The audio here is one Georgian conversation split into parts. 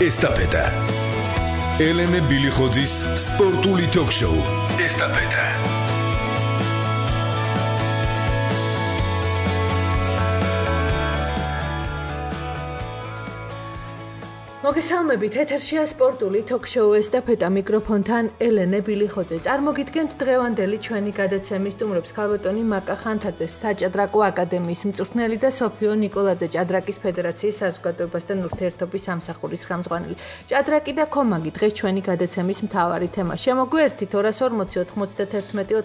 ესტაფეტა. ელენე ბილიხოძის სპორტული ток-შოუ ესტაფეტა. მოგესალმებით, ეთერშია სპორტული ток-შოუ ესტაფეტა, მიკროფონთან ელენე ბილიხოძე. წარმოგიდგენთ დღევანდელი ჩვენი გადაცემის სტუმრებს: ქალბატონი მაკა ხანთაძე, საჭადრაკო აკადემიის მწვრთნელი და სოფიო ნიკოლაძე, ჭადრაკის ფედერაციის საზოგადოებასთან ურთიერთობის სამსახურის ხელმძღვანელი. ჭადრაკი და ქომაგი დღეს ჩვენი გადაცემის მთავარი თემა. შემოგვიერთით 240 91 92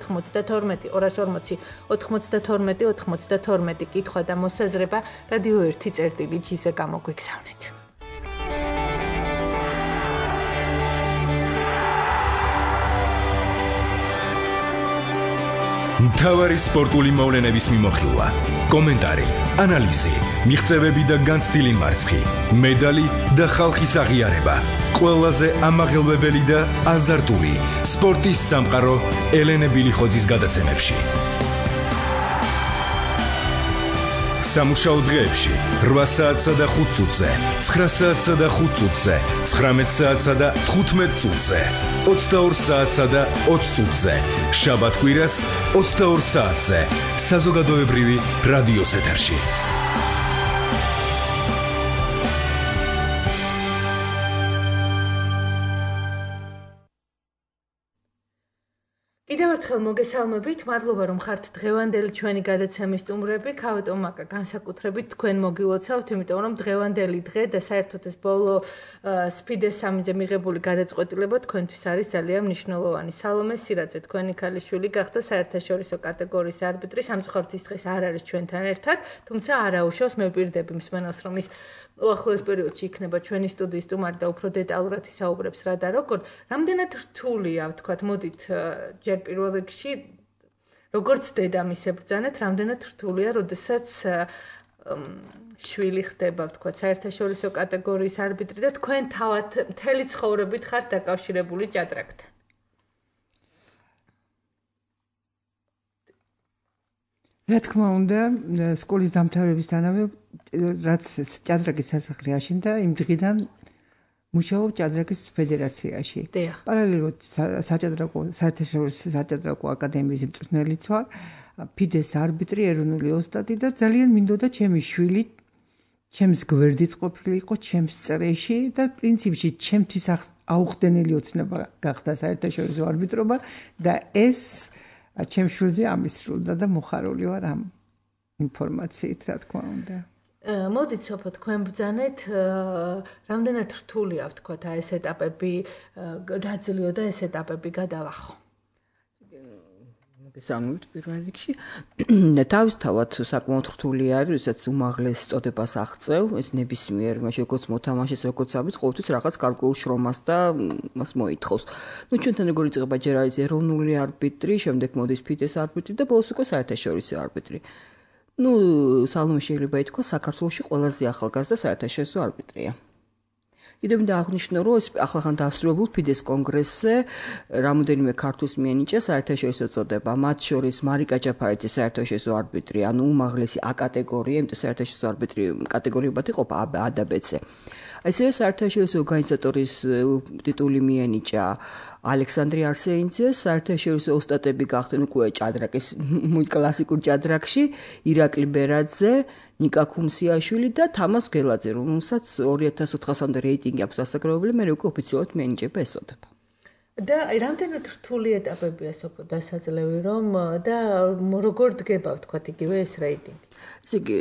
240 92 92 კითხვა და მოსაზრება რადიო 1.ჟ-ზე გამოგვიგზავნეთ. მთავარი სპორტული მოვლენების მიმოხილვა, კომენტარი, ანალიზი, მიღწევები და განცდილი მარცხი, მედალი და ხალხის აღიარება. ყველაზე ამაღელვებელი და აზარტული სპორტის სამყარო ელენე ბილიხოძის გადაცემებში. სამუშაო დღეებში 8 საათსა და 5 წუთზე, 9 საათსა და 5 წუთზე, 19 საათსა და 15 წუთზე, 22 საათსა და 20 წუთზე, შაბათ-კვირას 22 საათზე, საზოგადოებრივი რადიოს ეთერში. კიდევ ერთხელ მოგესალმებით, მადლობა რომ ხართ დღევანდელი ჩვენი გადაცემის სტუმრები. ქალბატონ მაკა, განსაკუთრებით თქვენ მოგილოცავთ, იმიტომ რომ დღევანდელი დღე და საერთოდ ეს ბოლო სფიდეს სამიზე მიღებული გადაწყვეტილება თქვენთვის არის ძალიან მნიშვნელოვანი. სალომე სირაძე, თქვენი ქალიშვილი გახდა საერთაშორისო კატეგორიის არბიტრი. სამწუხაროდ ის დღეს არ არის ჩვენთან ერთად, თუმცა არ აუშავს, მე ვპირდები მსმენელს, რომ ის უახლოეს პერიოდში იქნება ჩვენი სტუდიის სტუმარი და უფრო დეტალურად ისაუბრებს რა და როგორ. რამდენად რთულია, ვთქვათ, მოდით ჯერ პირველ რიგში, როგორც დედამისე ბრძანეთ, რამდენად რთულია, როდესაც შვილი ხდება, ვთქვათ, საერთაშორისო კატეგორიის არბიტრი და თქვენ თავად მთელი ცხოვრებით ხართ დაკავშირებული ჭადრაკთან. რა თქმა უნდა, სკოლის დამთავრებისთანავე, რაც ჭადრაკის სასახლე აშენდა, იმ დღიდან მუშაობ ჭადრაკის ფედერაციაში. პარალელურად საერთაშორისო საჭადრაკო აკადემიის მწვრთნელიც ვარ, ფიდეს არბიტრი, ეროვნული ოსტატი და ძალიან მინდოდა ჩემი შვილი ჩემს გვერდით ყოფილიყო, ჩემს წრეში და პრინციპში ჩემთვის აუხდენელი ოცნება გახდა საერთაშორისო არბიტრობა და ეს ჩემ შვილზე ამისრულდა და მოხარული ვარ ამ ინფორმაციით, რა თქმა უნდა. მოდით სოფო თქვენ ბრძანეთ, რამდენად რთულია, ვთქვათ, ეს ეტაპები გაძლიო და ეს ეტაპები გადალახო. მოგესალმებით პირველ რიგში. თავისთავად საკმაოდ რთული არის, როდესაც უმაღლეს წოდებას აღწევ, ეს ნებისმიერ მაშინ როგორც მოთამაშეს, როგორც ამით ყოველთვის რაღაც გარკვეულ შრომას და მას მოითხოვს. ნუ ჩვენთან როგორ იწყება, ჯერ არის ეროვნული არბიტრი, შემდეგ მოდის ფიდეს არბიტრი და ბოლოს უკვე საერთაშორისო არბიტრი. ნუ სალომე შეიძლება ითქვა საქართველოში ყველაზე ახალგაზრდა საერთაშორისო არბიტრია. კიდევ მინდა აღნიშნო, რომ ეს ახლახან დასრულებულ ფიდეს კონგრესზე რამოდენიმე ქართულს მიენიჭა საერთაშორისო წოდება, მათ შორის მარიკა ჯაფარიძე საერთაშორისო არბიტრი, ანუ უმაღლესი A კატეგორია, იმიტომ საერთაშორისო არბიტრი კატეგორიებად იყოფა A და B-ზე. ასევე საერთაშორისო ორგანიზატორის ტიტული მიენიჭა ალექსანდრე არსეინძეს, საერთაშორისო ოსტატები გახდნენ უკვე ჭადრაკის კლასიკურ ჭადრაკში, ირაკლი ბერაძე, ნიკა ქუმსიაშვილი და თამას გელაძე, რომელსაც 2400-მდე რეიტინგი აქვს დასაკრებებული, მე უკვე ოფიციალურად მიენიჭება ეს წოდება. და რამდენად რთული ეტაპებია სოფო დასაძლევი რომ და როგორ დგება, ვთქვათ, იგივე ეს რეიტინგი? ესე იგი,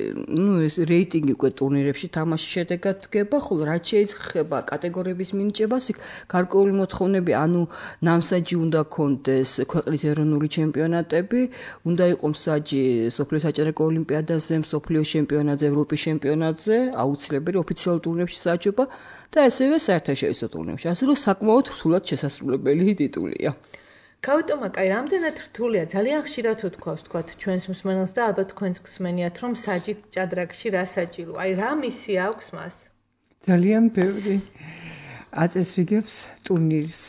ეს რეიტინგი უკვე ტურნირებში თამაშის შედეგად დგება, ხოლო რაც შეიძლება კატეგორიების მინიჭებას, იქ გარკვეული მოთხოვნები, ანუ ნამსაჯი უნდა ქონდეს ქვეყნის ეროვნული ჩემპიონატები, უნდა იყოს მსაჯი სოფლიო საჭადრაკო ოლიმპიადაზე, სოფლიო ჩემპიონატზე, ევროპის ჩემპიონატზე, აუცილებელი ოფიციალურ ტურნირებში საჯობა და ასევე საერთაშორისო ტურნირებში. ასე რომ საკმაოდ რთულად შესასრულებელი ტიტულია. ქალბატონ მაკა, რამდენად რთულია, ძალიან ხშირად ვთქვათ ჩვენს მსმენელს და ალბათ თქვენს გსმენიათ, რომ საჯით ჭადრაკში რა საჭირო, რა მისია აქვს მას? ძალიან ბევრი აწესრიგებს ტურნირს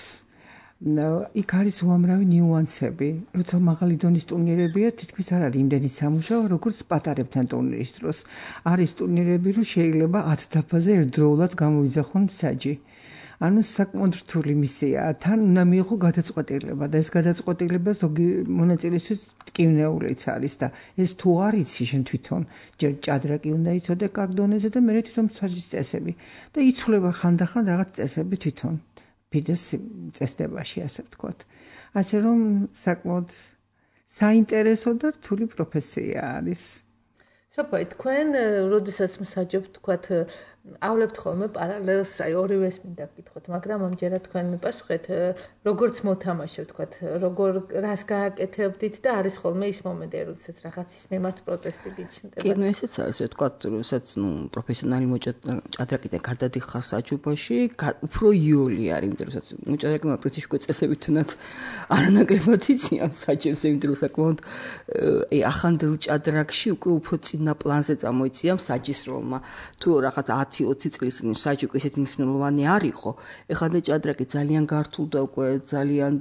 იქ არის უამრავი ნიუანსები. როცა მაღალი დონის ტურნირებია, თითქმის არ არის იმდენი სამუშაო, როგორც პატარებთან ტურნირის დროს. არის ტურნირები, რომ შეიძლება 10 დაფაზე ერთდროულად გამოვიძახონ მსაჯი. ანუ საკმაოდ რთული მისიაა. თან უნდა მიიღო გადაწყვეტილება და ეს გადაწყვეტილება ზოგი მონაწილისთვის ტკივნეულიც არის და ეს თუ არ იცი შენ თვითონ, ჯერ ჭადრაკი უნდა იცოდე კარგ დონეზე და მე თვითონ მსაჯის წესები და იცვლება ხანდახან რაღაც წესები თვითონ. ფიდეს წესდებაში, ასე ვთქვათ. ასე რომ საკმაოდ საინტერესო და რთული პროფესია არის. სოფოი, თქვენ როდესაც მსაჯობთ, თქვათ, ავლებთ ხოლმე პარალელს, აი ორივეს მინდა გითხოთ, მაგრამ ამჯერად თქვენ მიპასუხეთ, როგორც მოთამაშე, თქვათ, როგორ რას გააკეთებდით და არის ხოლმე ის მომენტი, როდესაც რაღაცის მიმართ პროტესტი გიჩნდება. კი, ესეც არის, ვთქვათ, როდესაც პროფესიონალი ჭადრაკიდან გადადიხარ საჯობაში, უფრო იოლი არის, იმიტომ რომ მოჭადრაკემა პრინციპში უკვე წესებითაც არანაკლებად იციან საჯებს, იმიტომ რომ საკმაოდ ახანდელ ჭადრაკში უკვე უფრო წინა პლანზე წამოიციან საჯის როლმა. თუ რაღაც 10-20 წლის წინ საჯი უკვე ისეთი მნიშვნელოვანი არ იყო. ეხლა ჭადრაკი ძალიან გართულდა უკვე, ძალიან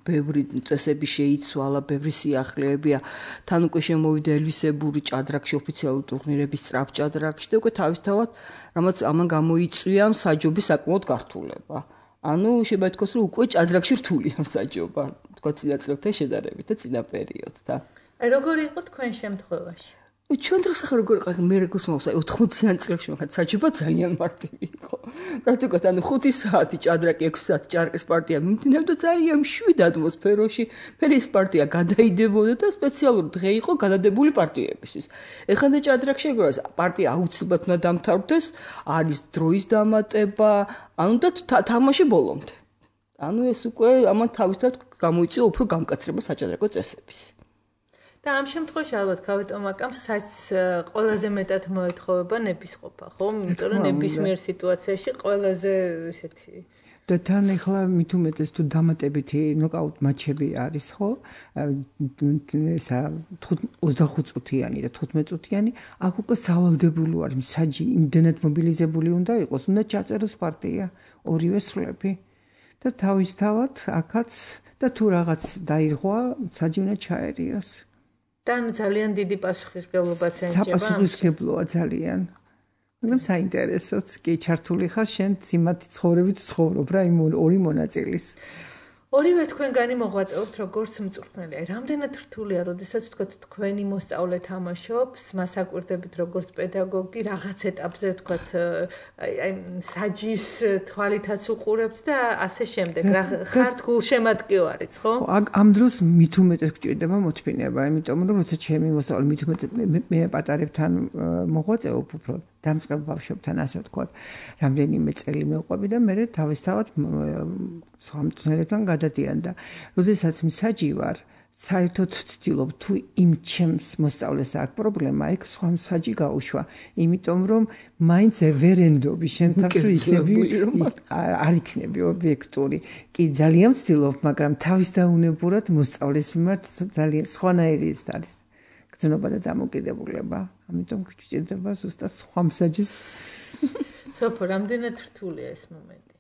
ბევრი წესები შეიცვალა, ბევრი სიახლეებია. თან უკვე შემოვიდა ელვისებური ჭადრაკში, ოფიციალური ტურნირების სწრაფ ჭადრაკში და უკვე თავისთავად რამაც ამან გამოიწვია საჯობის საკმაოდ გართულება. ანუ შეიძლება ითქვას, რომ უკვე ჭადრაკში რთულია საჯობა, თქვა წინა წლებთან შედარებით და წინა პერიოდთან. აი როგორი იყო თქვენ შემთხვევაში? ჩვენ დროს ახლა როგორ იყო მე როგორც მოვსა 80-იან წლებში მაგათ საჯობა ძალიან მარტივი იყო. პრაქტიკულად ანუ 5 საათი ჭადრაკი 6 საათი ჭარკის პარტია მიმდინარეობდა ძალიან მშვიდ ატმოსფეროში. მე ეს პარტია გადაიდებოდა და სპეციალური დღე იყო გადადებული პარტიებისთვის. ეხლა ჭადრაკში ეგრეა პარტია აუცილებლად უნდა დამთავრდეს, არის დროის დამატება, ანუ და თამაში ბოლომდე. ანუ ეს უკვე ამან თავისთავად გამოიწვია უფრო გამკაცრება საჭადრაკო წესების. და ამ შემთხვევაში ალბათ გავეტომაკამ საჭს ყველაზე მეტად მოეთხოვება ნებისყოფა, ხო? იმიტომ რომ ნებისმიერ სიტუაციაში ყველაზე ესეთი და თან ახლა მით უმეტეს თუ დამატებითი ნოკაუტ მატჩები არის, ხო? ესა 25 წუთიანი და 15 წუთიანი, აქ უკვე სავალდებულო არის, საჯი იმდენად მობილიზებული უნდა იყოს, უნდა ჩაწეროს პარტია, ორივე სვლები. და თავისთავად აქაც და თუ რაღაც დაირღვა, საჯი უნდა ჩაერიოს. და ძალიან დიდი პასუხისმგებლობაც ენიჭება. საპასუხისმგებლოა ძალიან. მაგრამ საინტერესოც კი ჩართული ხარ შენ სიმათი ცხოვრებით ცხოვრობ რა იმ ორი მონაწილის. ორივე თქვენგანი მოღვაწეობთ როგორც მწვრთნელი. აი რამდენად რთულია, როდესაც ვთქვათ თქვენი მოსწავლე თამაშობს, მას აკვირდებით როგორც პედაგოგი, რაღაც ეტაპზე ვთქვათ აი საჯის თვალითაც უყურებთ და ასე შემდეგ. რა ხართ გულშემატკივარიც, ხო? ამ დროს მით უმეტეს გჭირდება მოთმინება, იმიტომ რომ როცა ჩემი მოსწავლე მით უმეტეს მე პატარებთან მოღვაწეობ უფრო დამწყებ ბავშვებთან ასე ვთქვათ, რამდენიმე წელი მივყვები და მე თავისთავად სხვა მწვრთნელებთან გადადიან და როდესაც მსაჯი ვარ, საერთოდ ვცდილობ თუ იმ ჩემს მოსწავლეს აქვს პრობლემა, იქ სხვა მსაჯი გაუშვა, იმიტომ რომ მაინც ვერენდობი შენ თავს რომ იქნები არ იქნები ობიექტური. კი ძალიან ვცდილობ, მაგრამ თავის დაუნებურად მოსწავლეს მიმართ ძალიან სხვანაირი არის. გზნობა და დამოკიდებულება. ამიტომ გჭირდება ზუსტად სხვა მსაჯის. სოფო, რამდენად რთულია ეს მომენტი?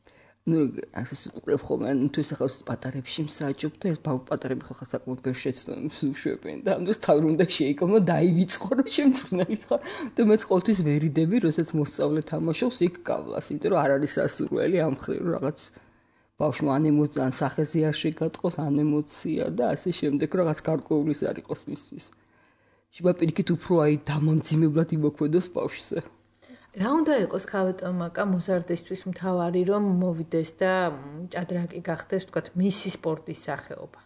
ნუ ასე უყურებ ხოლმე, თუ ეს ახლა პატარებში მსაჯობ და ეს პატარები ხო საკმაოდ ბევრ შეცდომებს უშვებენ და ამ დროს თავი უნდა შეიკავო, დაივიწყო რომ შემწვრთნელი ხარ და მეც ყოველთვის ვერიდები, როდესაც მოსწავლე თამაშობს იქ გავლას, იმიტომ რომ არ არის სასურველი ამ ხრივ რაღაც ბავშვმა ან ემოცია, ან სახეზე არ შეგატყოს, ან ემოცია და ასე შემდეგ რაღაც გარკვეულის არ იყოს მისთვის. შეიძლება პირიქით უფრო აი დამამძიმებლად იმოქმედოს ბავშვზე. რა უნდა იყოს ქავეტომაკა მოზარდისთვის მთავარი რომ მოვიდეს და ჭადრაკი გახდეს თქვათ მისი სპორტის სახეობა?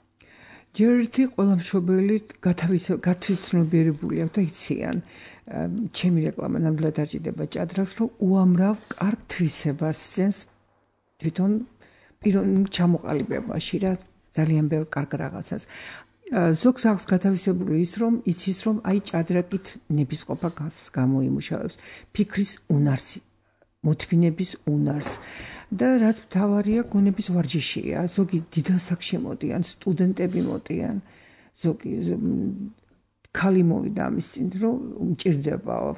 ჯერ ერთი ყველა მშობელი გათვითცნობიერებული აქვს და იციან. ჩემი რეკლამა ნამდვილად არ ჭირდება ჭადრაკს, რომ უამრავ კარგ თვისებას სცენს თვითონ პიროვნულ ჩამოყალიბებაში რა ძალიან ბევრ კარგ რაღაცას. ზოგს აქვს გათავისებული ის რომ იცის რომ აი ჭადრაკით ნებისყოფა გამოიმუშავებს ფიქრის უნარს, მოთმინების უნარს და რაც მთავარია გონების ვარჯიშია. ზოგი დიდ ასაკში მოდიან, სტუდენტები მოდიან, ზოგი ქალი მოვიდა ამის წინ რომ მჭირდებაო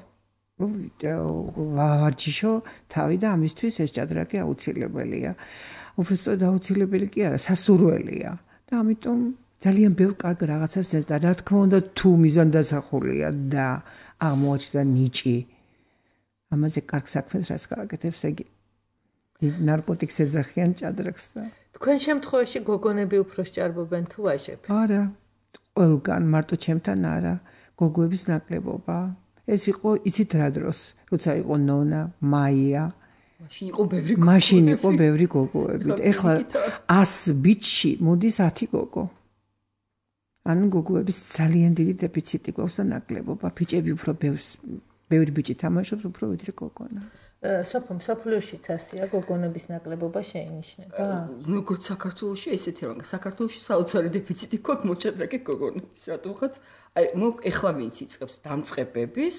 ვარჯიშო თავი და ამისთვის ეს ჭადრაკი აუცილებელია. უბრალოდ აუცილებელი კი არა, სასურველია. და ამიტომ ძალიან ბევრ კარგ რაღაცას ეს და რა თქმა უნდა თუ მიზანდასახულია და აღმოაჩნდა ნიჭი ამაზე კარგ საქმეს რას გააკეთებს ეგ ნარკოტიკს ეძახიან ჭადრაკს და თქვენ შემთხვევაში გოგონები უფრო სჭარბობენ თუ ვაჟები? არა, ყველგან, მარტო ჩემთან არა, გოგოების ნაკლებობა. ეს იყო იცით რა დროს, როცა იყო ნონა, მაია. მაშინ იყო ბევრი გოგოები. ეხლა 100 ბიჭში მოდის 10 გოგო. ანუ გოგოების ძალიან დიდი დეფიციტი გვაქვს და ნაკლებობა. ბიჭები უფრო ბევრი ბიჭი თამაშობს უფრო ვიდრე გოგონა. სოფლიოშიც ასეა გოგონების ნაკლებობა შეინიშნება? როგორც საქართველოში ესეთი რა, საქართველოში საოცარი დეფიციტი გვაქვს მოჭადრაკე გოგონების, რატომღაც აი ეხლა ვინც იწყებს დამწყებების,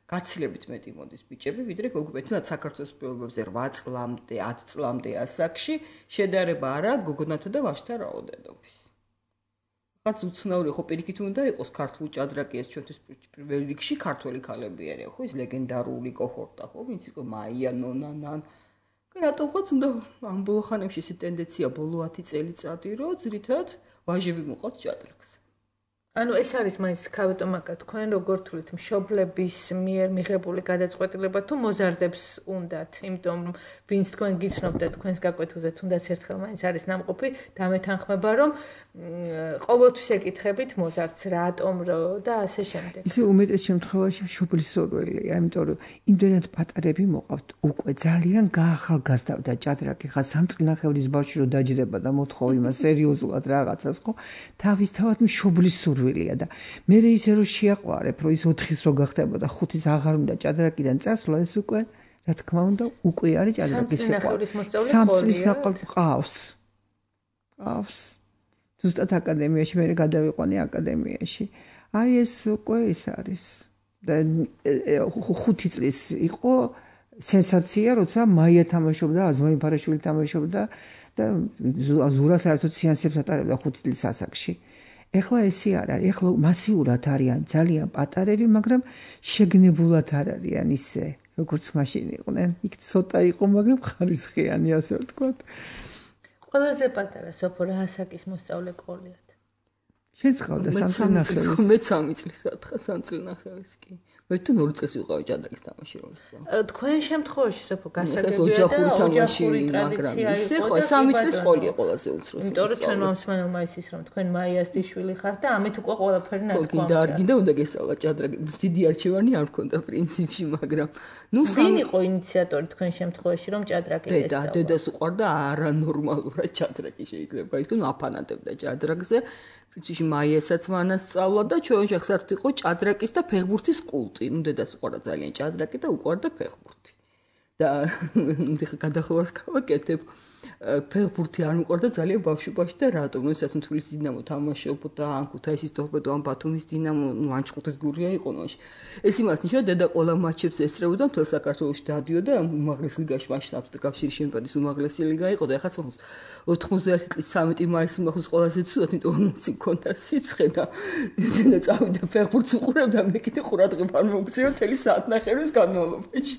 გაცილებით მეტი მოდის ბიჭები, ვიდრე გოგოები. თუნდაც საქართველოს პირობებზე 8 წლამდე, 10 წლამდე ასაკში შედარება არა გოგონათა და ვაჟთა რაოდენობის. რაც უცნაური ხო პირიქით უნდა იყოს ქართულ ჭადრაკი ეს ჩვენთვის პირველ რიგში ქართველი ქალები არიან ხო ის ლეგენდარული კოჰორტა ხო ვინც იყო მაია ნონანან რატომღაც უნდა ამ ბოლო ხანებში ეს ტენდენცია ბოლო 10 წელიწადი რომ ძირითადად ვაჟები მოყავთ ჭადრაკს ანუ ეს არის მაინც ქავეტომაკა თქვენ როგორ თვლით მშობლების მიერ მიღებული გადაწყვეტილება თუ მოზარდებს უნდათ იმიტომ ვინც თქვენ გიცნობთ თქვენს გაკვეთილზე თუნდაც ერთხელ მაინც არის ნამყოფი დამეთანხმება რომ ყოველთვის ეკითხებით მოზარდს რატომ და ასე შემდეგ ისე უმეტეს შემთხვევაში მშობლის სურვილია იმიტომ რომ იმდენად პატარები მოყავთ უკვე ძალიან გაახალგაზრდა ჭადრაკი ხა სამწკნახევრის ბავშვი რო დაჯდება და მოთხოვ იმას სერიოზულად რაღაცას ხო თავისთავად მშობლის სურვილია და მე ისე რომ შეაყვარებ რომ ის 4-ის რო გახდება და 5-ის აღარ უნდა ჭადრაკიდან წასვლა ეს უკვე რა თქმა უნდა უკვე არის ჭადრაკის სამწკნახევრის მოსწავლე ყავს ზუსტად აკადემიაში მე გადავიყვანე აკადემიაში აი ეს უკვე ის არის და 5 წლის იყო სენსაცია როცა მაია თამაშობდა აზმარი ფარაშვილი თამაშობდა და ზურა საერთოდ სეანსებს ატარებდა 5 წლის ასაკში ეხლა ესე არ არის ეხლა მასიურად არიან ძალიან პატარები მაგრამ შეგნებულად არ არიან ისე როგორც მაშინ იყვნენ იქ ცოტა იყო მაგრამ ხარისხიანი ასე ვთქვათ ყველაზე პატარა სოფო რა ასაკის მოსწავლე ყოლიათ შენც ყავდა 3 წელს მე 3 წლის სათხა 3 წელს კი მე თუ 2 წელს ვიყავი ჭადრაკის თამაში რომ ისე თქვენ შემთხვევაში სოფო გასაგებია ოჯახური თამაში მაგრამ ისე ხო 3 წლის ყოლია ყველაზე უცროსი იმიტომ რომ ჩვენ მომსმენელმა ისის რომ თქვენ მაიას დიშვილი ხართ და ამით უკვე ყველაფერი ნათქვა გინდა უნდა გესწავლა ჭადრაკი დიდი არჩევანი არ მქონდა პრინციპში მაგრამ ნუ ვინ იყო ინიციატორი თქვენ შემთხვევაში რომ ჭადრაკი ესწავლა დედას უყვარდა არანორმალურად ჭადრაკი შეიძლება ითქვას აფანატებდა ჭადრაკზე პრინციპში მაიასაც მანასწავლა და ჩვენ შეხსართ იყო ჭადრაკის და ფეხბურთის კულტი. ნუ დედას უყვარდა ძალიან ჭადრაკი და უყვარდა ფეხბურთი. და გადახოვას გავაკეთებ ფეხბურთი არ მიყვარდა ძალიან ბავშვობაში და რატომ? როდესაც თბილისის დინამო თამაშობდა, ან ქუთაისის ტორპედო, ან ბათუმის დინამო, ნუ ან ჭყუტის გურია იყო ნოში. ეს იმას ნიშნავს, დედა ყველა მატჩებს ესწრებოდა მთელ საქართველოში დადიოდა უმაღლეს ლიგაში, მაშინ აბსოლუტურად კავშირის ჩემპიონატის უმაღლესი ლიგა იყო და ეხლა 91 წლის 13 მაისის მახოს ყველაზე ცუდად, იმიტომ 40 მქონდა სიცხე და წავიდა ფეხბურთს უყურებდა, მე კიდე ყურადღება არ მოგწია მთელი საათნახევრის განმავლობაში.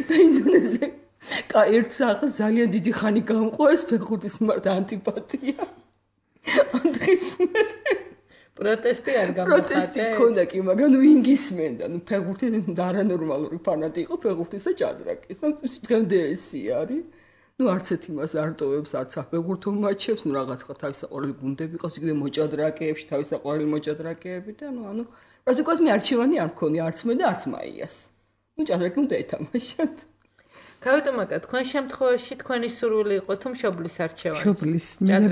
და ინდონეზია ერთ სახს ძალიან დიდი ხანი გამყო ეს ფეხბურთის მიმართ ანტიპათია. ანდრის პროტესტი არ გამხატე. პროტესტი ქონდა კი, მაგრამ ნუ ინგისმენდა, ნუ ფეხბურთი არანორმალური ფანატი იყო ფეხბურთისა ჭადრაკის. და დღემდე ესე არის. ნუ არც ერთ იმას არ ტოვებს, არც საფეხბურთო მატჩებს, ნუ რაღაც ხო თავისაყრელი გუნდები ყავს, იქნებ მოჭადრაკეებში, თავისაყრელი მოჭადრაკეები და ნუ ანუ პრაქტიკულად მე არჩევანი არ მქონია, არც მე და არც მაიას. ნუ ჭადრაკი უნდა ეთამაშოთ. ქავეტომაკა, თქვენ შემთხვევაში თქვენი სურვილი იყო თუ მშობლის არჩევანი? მშობლის.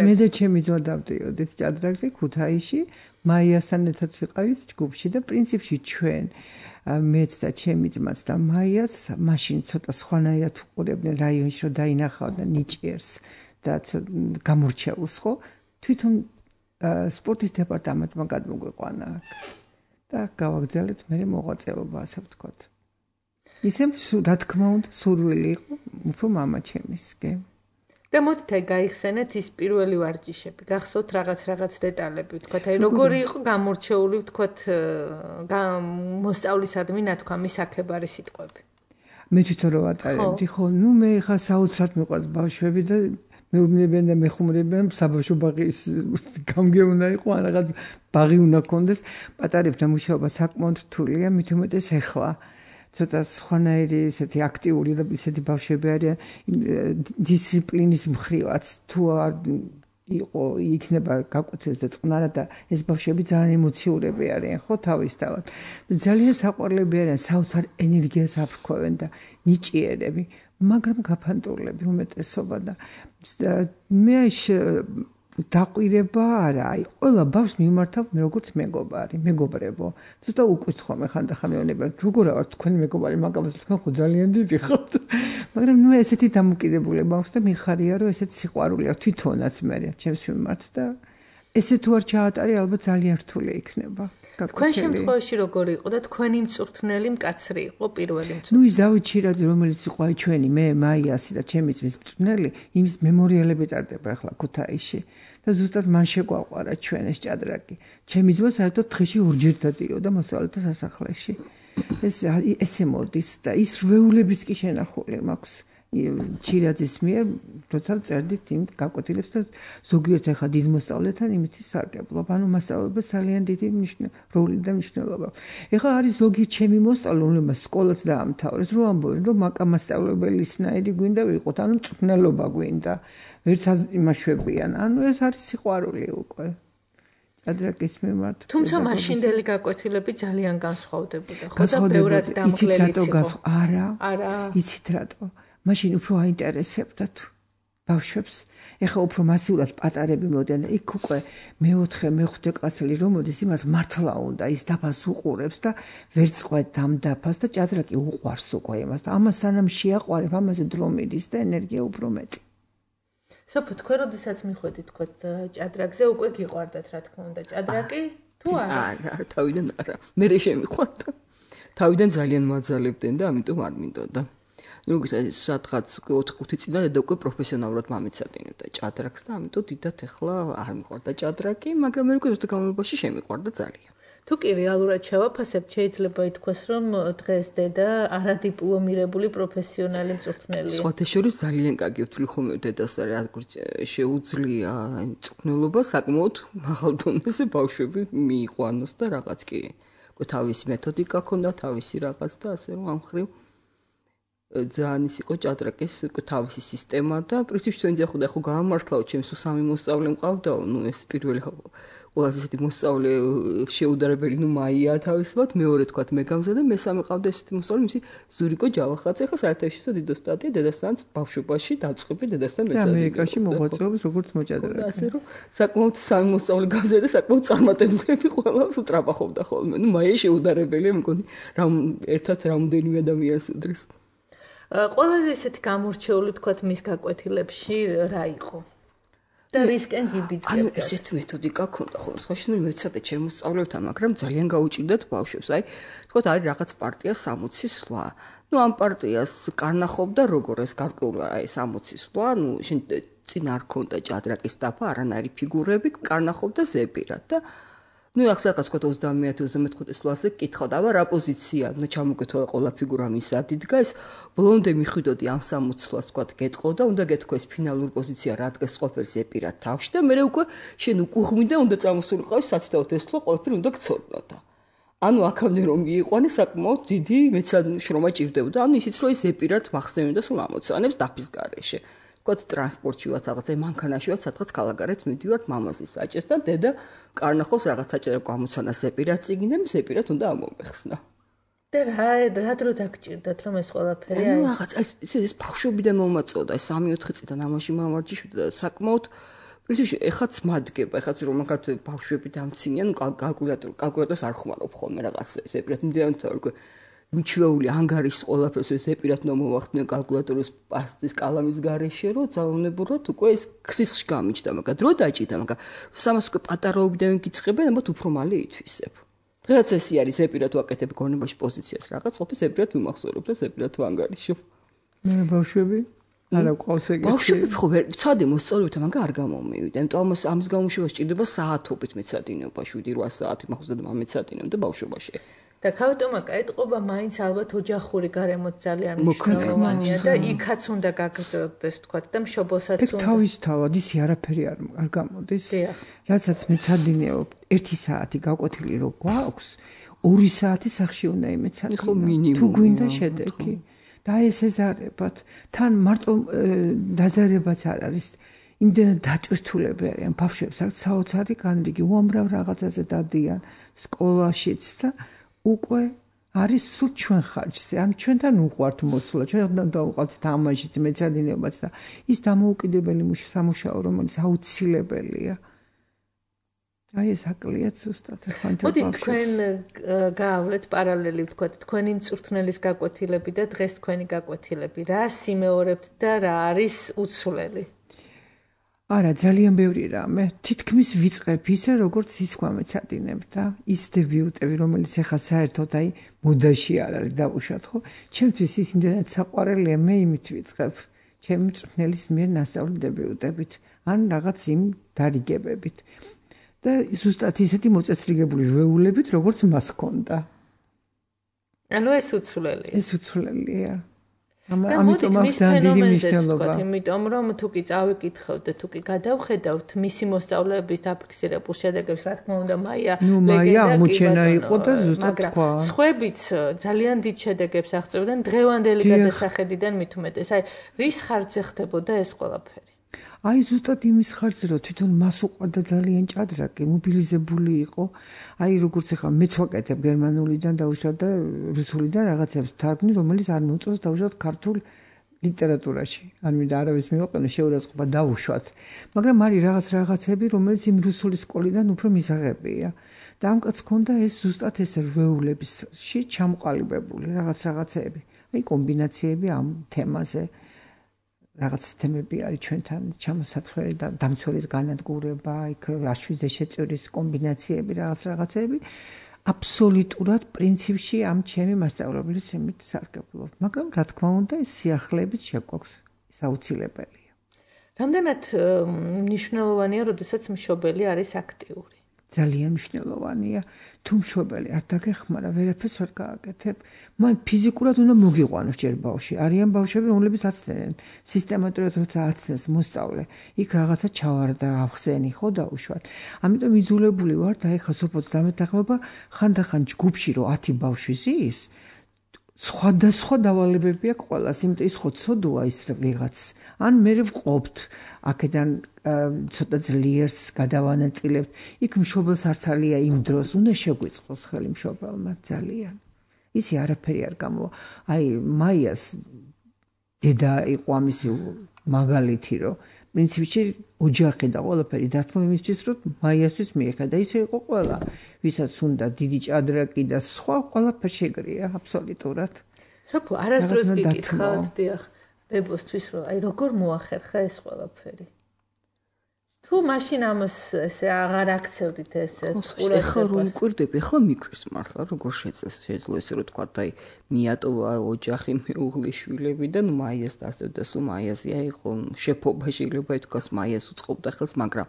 მე და ჩემი ძმა დავდიოდით ჭადრაკზე ქუთაისში, მაიასთან ერთად ვიყავით ჯგუფში და პრინციპში ჩვენ მეც და ჩემი ძმაც და მაიას მაშინ ცოტა სხვანაირად უყურებდნენ რაიონში რომ დაინახავდა ნიჭიერს და გამორჩეულს ხო თვითონ სპორტის დეპარტამენტმა გადმოგვიყვანა და გავაგზავნეთ მე მოღვაწეობა ასე ვთქვათ ისე რა თქმა უნდა სურვილი იყო უფრო მამა ჩემისკენ და მოდით აი გაიხსენეთ ის პირველი ვარჯიშები. გახსოვთ რაღაც დეტალები, ვთქვათ, აი როგორი იყო გამორჩეული, ვთქვათ, მოსწავლისადმი ნათქვამი საქებარი სიტყვები. მე თვითონ რო ვატარებდი, ხო, მე ხა საოცრად მიყვარს ბავშვები და მეუბნებიან და მეხუმრებიან საბავშვო ბაღის გამგე უნდა იყო, ან რაღაც ბაღი უნდა კონდეს. პატარებთან მუშაობა საკმაოდ რთულია, მით უმეტეს ეხლა. ცოტა სხვანაირი ესეთი აქტიური და ესეთი ბავშვები არიან დისციპლინის მხრივაც თუ იყო იქნება გაკვეთილს და წყნარად და ეს ბავშვები ძალიან ემოციურები არიან ხო თავისთავად და ძალიან საყვარლები არიან საოცარ ენერგიას აფრქვევენ და ნიჭიერები მაგრამ გაფანტულები უმეტესობა და მე დაყვირება არა აი ყველა ბავშვს მიმართავ მე როგორც მეგობრებო ცოტა უკითხო მე ხანდახან მეუბნება როგორ ვარ თქვენი მეგობარი მაგას თქვენ ხო ძალიან დიდი ხართ მაგრამ ნუ ესეთი დამოკიდებულება აქვს და მიხარია რომ ესეთი სიყვარული აქვს თვითონაც მე ჩემს მიმართ და ესე თუ არ ჩაატარე ალბათ ძალიან რთული იქნება თქვენ შემთხვევაში როგორი იყო და თქვენი მწვრთნელი მკაცრი იყო პირველი მწვრთნელი ნუ ის დავით შირაძე რომელიც იყო აი ჩვენი მე მაიასი და ჩემი ძმის მწვრთნელი იმის მემორიალები ტარდება ახლა ქუთაისში და ზუსტად მან შეგვაყვარა ჩვენ ეს ჭადრაკი ჩემი ძმა საერთოდ დღეში ორჯერ დადიოდა მოსწავლეთა სასახლეში ესე მოდის და ის რვეულების კი შენახული მაქვს ჭირაძის მიერ როცა წერდით იმ გაკვეთილებს და ზოგიერთ ახლა დიდ მოსწავლეთან იმითი სარგებლობ ანუ მასწავლებლებს ძალიან დიდი როლი და მნიშვნელობა ეხლა არის ზოგი ჩემი მოსწავლე რომელმაც სკოლაც დაამთავრეს რომ ამბობენ რომ მაკამასწავლებელისნაირი გვინდა ვიყოთ ანუ მწვრთნელობა გვინდა ვერც იმაშვებიან ანუ ეს არის სიყვარული უკვე ჭადრაკის მიმართ თუმცა მაშინდელი გაკვეთილები ძალიან განსხვავდებოდა ხო და ბევრად დამღლელიც იყო არა იცით რატო მაშინ უფრო აინტერესებდა თუ ბავშვებს ეხა უფრო მასიურად პატარები მოდიან იქ უკვე მე-4 მე-5 კლასელი რომ მოდის იმას მართლა უნდა ის დაფას უყურებს და ვერ წყვეტ ამ დაფას და ჭადრაკი უყვარს უკვე იმას და ამას სანამ შეაყვარებ ამაზე დრო მიდის და ენერგია უფრო მეტი სოფო თქვენ როდესაც მიხვედით თქვა ჭადრაკზე უკვე გიყვარდათ რა თქმა უნდა ჭადრაკი თუ არა თავიდან არა მე შემიყვარდა თავიდან ძალიან მაძალებდნენ და ამიტომ არ მინდოდა ну სადღაც 4-5 წინა და უკვე პროფესიონალურად მამიცადინებდა ჭადრაკს და ამიტომ დიდად ახლა არ მიყვარდა ჭადრაკი მაგრამ მე უკვე განმავლობაში შემიყვარდა ძალიან თუ კი რეალურად შევაფასებთ შეიძლება ითქვას რომ დღეს დედა არადიპლომირებული პროფესიონალი მწვრთნელია სხვათა შორის ძალიან კარგი ვთვლი ხოლმე დედას რა შეუძლია მწვრთნელობა საკმაოდ მაღალ დონეზე ბავშვები მიიყვანოს და რაღაც კი თავისი მეთოდიკა ქონდა თავისი რაღაც და ასე რომ ამ ხრივ ძალიან ის იყო ჭადრაკის თავისი სისტემა და პრინციპში ჩვენ ძახოდა ხო გამართლაო ჩემს სამი მოსწავლე მყავდაო ნუ ეს პირველი ყველაზე ისეთი მოსწავლე შეუდარებელი ნუ მაია თავისუფლად მეორე თქვა მე გამზადე მესამე ყავდა ესეთი მოსწავლე მისი ზურიკო ჯავახაძე ხა საერთაშორისო დიდო სტატია დედასთან ბავშვობაში დაწყები დედასთან მეცადი ამერიკაში მოღვაწეობს როგორც მოჭადრაკე ასე რომ საკმაოდ სამი მოსწავლე გამზადე საკმაოდ წარმატებულები ყველა უტრაპახობდა ხოლმე ნუ მაია შეუდარებელია მგონი რამ ერთად რამდენიმე ადამიანს უდრის ყველაზე ისეთი გამორჩეული თქვათ მის გაკვეთილებში რა იყო და რისკენ გიბიძგებდა ანუ ესეთ მეთოდიკა ქონდა ხოლმე სხვაში ნუ მეცადე ჩემს სწავლებთან მაგრამ ძალიან გაუჭირდათ ბავშვებს აი თქვათ არის რაღაც პარტია 60 სვლა ნუ ამ პარტიას კარნახობდა როგორ ეს გარკვეული აი 60 სვლა ნუ შენ წინ არ ქონდა ჭადრაკის დაფა არანაირი ფიგურები კარნახობდა ზეპირად და ну ახლა თქვა 30-35 სვლაზე კითხავდა აბა რა პოზიცია ნუ ჩამოგეთვალა ყველა ფიგურა მის ადიდგა ეს ბლონდე მიხვიდოდი ამ 60 სვლას თქვა გეტყოდა უნდა გეთქვა ეს ფინალური პოზიცია რა დგას ყველაფერი ზეპირად თავში და მე უკვე შენ უკუღმიდა უნდა წამოსულიყავი საცდაოთ ეს სვლა ყველაფერი უნდა გწოდნოდა ანუ აქამდე რომ მიიყვანე საკმაოდ დიდი მეცად შრომა ჭირდებოდა ანუ ისიც რომ ეს ზეპირად მახსენებდა სულ ამოცანებს დაფის გარეშე გოთ ტრანსპორტშივაც რაღაცა მანქანაშივაც სადღაც ქალაქარეთ მიდივართ მამაზის საჭეს და დედა კარნახობს რაღაც საჭირო გამოცანა ზეპირად წიგნიდან ზეპირად უნდა ამომეხსნა და რა დრო დაგჭირდათ რომ ეს ყველაფერი აი რაღაც ეს ბავშვობიდან მომაწოდა ეს 3-4 წიდან ამაში მამარჯიშვიდა და საკმაოდ პრინციპში ეხაც მადგება ეხაც რომ მაგათ ბავშვები დამცინიან კალკულატორს არ ხმარობ ხოლმე რაღაც ზეპირად მიდიან უკვე მიჩვეული ანგარის ყველაფერს ეს ზეპირად მომახდნენ კალკულატორის პასტის კალამის გარეშე რომ ძალოვნებურად უკვე ეს ქსისში გამიჩნდა მაგრამ დრო დაჭიდა მაგრამ სამას უკვე პატარაობიდან გიწყებენ ამათ უფრო მალე ითვისებ დღეაც ესე არის ზეპირად ვაკეთებ გონებაში პოზიციას რაღაც ყოფილი ზეპირად ვიმახსოვრებ და ზეპირად ვანგარიშობ მე ბავშვები არა ყავს ეგეთი. ბავშვები ხო ვცადე მოსწავლეთა მაგა არ გამომივიდა. იმიტომ ამის გამოშვება სჭირდება საათობით მეცადინეობა 7-8 საათი მაგას და მეცადინებდა ბავშვობაში. და ქავტომაკა ეთყობა მაინც ალბათ ოჯახური გარემოც ძალიან მნიშვნელოვანია და იქაც უნდა გაგრძელდეს თქვათ და მშობელსაც უნდა. თავისთავად ისი არაფერი არ გამოდის. რასაც მეცადინეობ 1 საათი გაკვეთილი რო გვაქვს 2 საათი სახში უნდა იმეცადინო. ხო მინიმუმ. თუ გვინდა შედეგი. და ესეზარებათ თან მარტო დაზარებაც არ არის იმდენად დატვირთულები არიან ბავშვებს აქ საოცარი განრიგი უამრავ რაღაცაზე დადიან სკოლაშიც და უკვე არის სულ ჩვენ ხარჯზე ან ჩვენთან უყვართ მოსვლა ჩვენთან დავუყავთ თამაშიც მეცადინეობაც და ის დამოუკიდებელი სამუშაო რომელიც აუცილებელია აი ეს აკლიათ ზუსტად ხანთან მოდი თქვენ გაავლეთ პარალელი ვთქვათ თქვენი მწვრთნელის გაკვეთილები და დღეს თქვენი გაკვეთილები რა სიმეორებთ და რა არის უცვლელი არა ძალიან ბევრი რამე თითქმის ვიწყებ ისე როგორც ის გვამეცადინებ და ის დებიუტები რომელიც ახლა საერთოდ აი მოდაში არ არის დავუშვათ ხო ჩემთვის ის იმდენად საყვარელია მე იმით ვიწყებ ჩემი მწვრთნელის მიერ ნასწავლი დებიუტებით ან რაღაც იმ დარიგებებით და ზუსტად ისეთი მოწესრიგებული ჟვეულებით, როგორც მას ჰქონდა. ანუ ეს უცვლელია. ეს უცვლელია. ამიტომ აქვს დიდი მნიშვნელობა. იმიტომ რომ თუ კი წავიკითხავთ და თუ კი გადავხედავთ მისი მოსწავლეების დაფიქსირებულ შედეგებს, რა თქმა უნდა, მაია ლეგენდა ამოჩენა იყო და ზუსტად თქვა. სხვებიც ძალიან დიდ შედეგებს აღწევდნენ დღევანდელი გადასახედიდან მით უმეტეს. აი, რის ხარჯზე ხდებოდა ეს ყველაფერი? აი ზუსტად იმის ხარჯზე რომ თვითონ მას უყვარდა ძალიან ჭადრაკი, მობილიზებული იყო. აი როგორც ახლა მეც ვაკეთებ გერმანულიდან დაუშვათ და რუსულიდან რაღაცებს თარგმნი, რომელიც არ მომწონს დაუშვათ ქართულ ლიტერატურაში. არ მინდა არავის მივაყენო შეურაცხყოფა დაუშვათ. მაგრამ არის რაღაცები, რომელიც იმ რუსული სკოლიდან უფრო მისაღებია. და ამ კაცს ჰქონდა ეს ზუსტად ეს რვეულებისში ჩამოყალიბებული რაღაცეები. აი კომბინაციები ამ თემაზე. რაღაც თემები არის ჩვენთან ჩამოსათვლელი და დამცველის განადგურება, იქ აშვიძე შეწევრის კომბინაციები, რაღაცეები აბსოლუტურად პრინციპში ამ ჩემი მასწავლებლის იმით სარგებლობ. მაგრამ რა თქმა უნდა, ეს სიახლეებით შეგვაქვს საუცილებელია. რამდენად მნიშვნელოვანია, როდესაც მშობელი არის აქტიური? ძალიან მნიშვნელოვანია. თუ მშობელი არ დაგეხმარა, ვერაფერს ვერ გააკეთებ. მან ფიზიკურად უნდა მოგიყვანოს ჯერ ბავშვი. არიან ბავშვები, რომლებიც აცდენენ, სისტემატურად როცა აცდენს მოსწავლე, იქ რაღაცა ჩავარდა, ახსენი ხო დაუშვათ. ამიტომ იძულებული ვარ და ეხლა სოფოც დამეთანხმება, ხანდახან ჯგუფში რო 10 ბავშვი ზის, სხვადასხვა დავალებები აქვს ყველას, იმიტომ ის ხო ცოდოა ის ვიღაც. ან მე ვყოფთ აქედან ცოტა ძლიერს გადავანაწილებთ. იქ მშობელს არც არია იმ დროს, უნდა შეგვიწყოს ხელი მშობელმა ძალიან. ისი არაფერი არ გამოვა. აი მაიას დედა იყო ამისი მაგალითი, რომ პრინციპში ოჯახი და ყველაფერი დათმო იმისთვის, რომ მაიასთვის მიეხედა. ისე იყო ყველა, ვისაც უნდა დიდი ჭადრაკი და სხვა ყველაფერი შეგრია აბსოლუტურად. სოფო, არასდროს გიკითხავთ, დიახ, ბებოსთვის, რომ აი როგორ მოახერხა ეს ყველაფერი. თუ მაშინ ამას ესე აღარ აქცევდით ესე ყურადღებას. ხო, რომ მკვირდები, ხო მიკრის მართლა, როგორ შეძლო ესე რომ თქვა, აი მიატოვა ოჯახი, მეუღლე, შვილები და ნუ მაიას დასწევდა, სულ მაიაზია იყო შეფობა შეიძლება ითქვას, მაიას უწყობდა ხელს, მაგრამ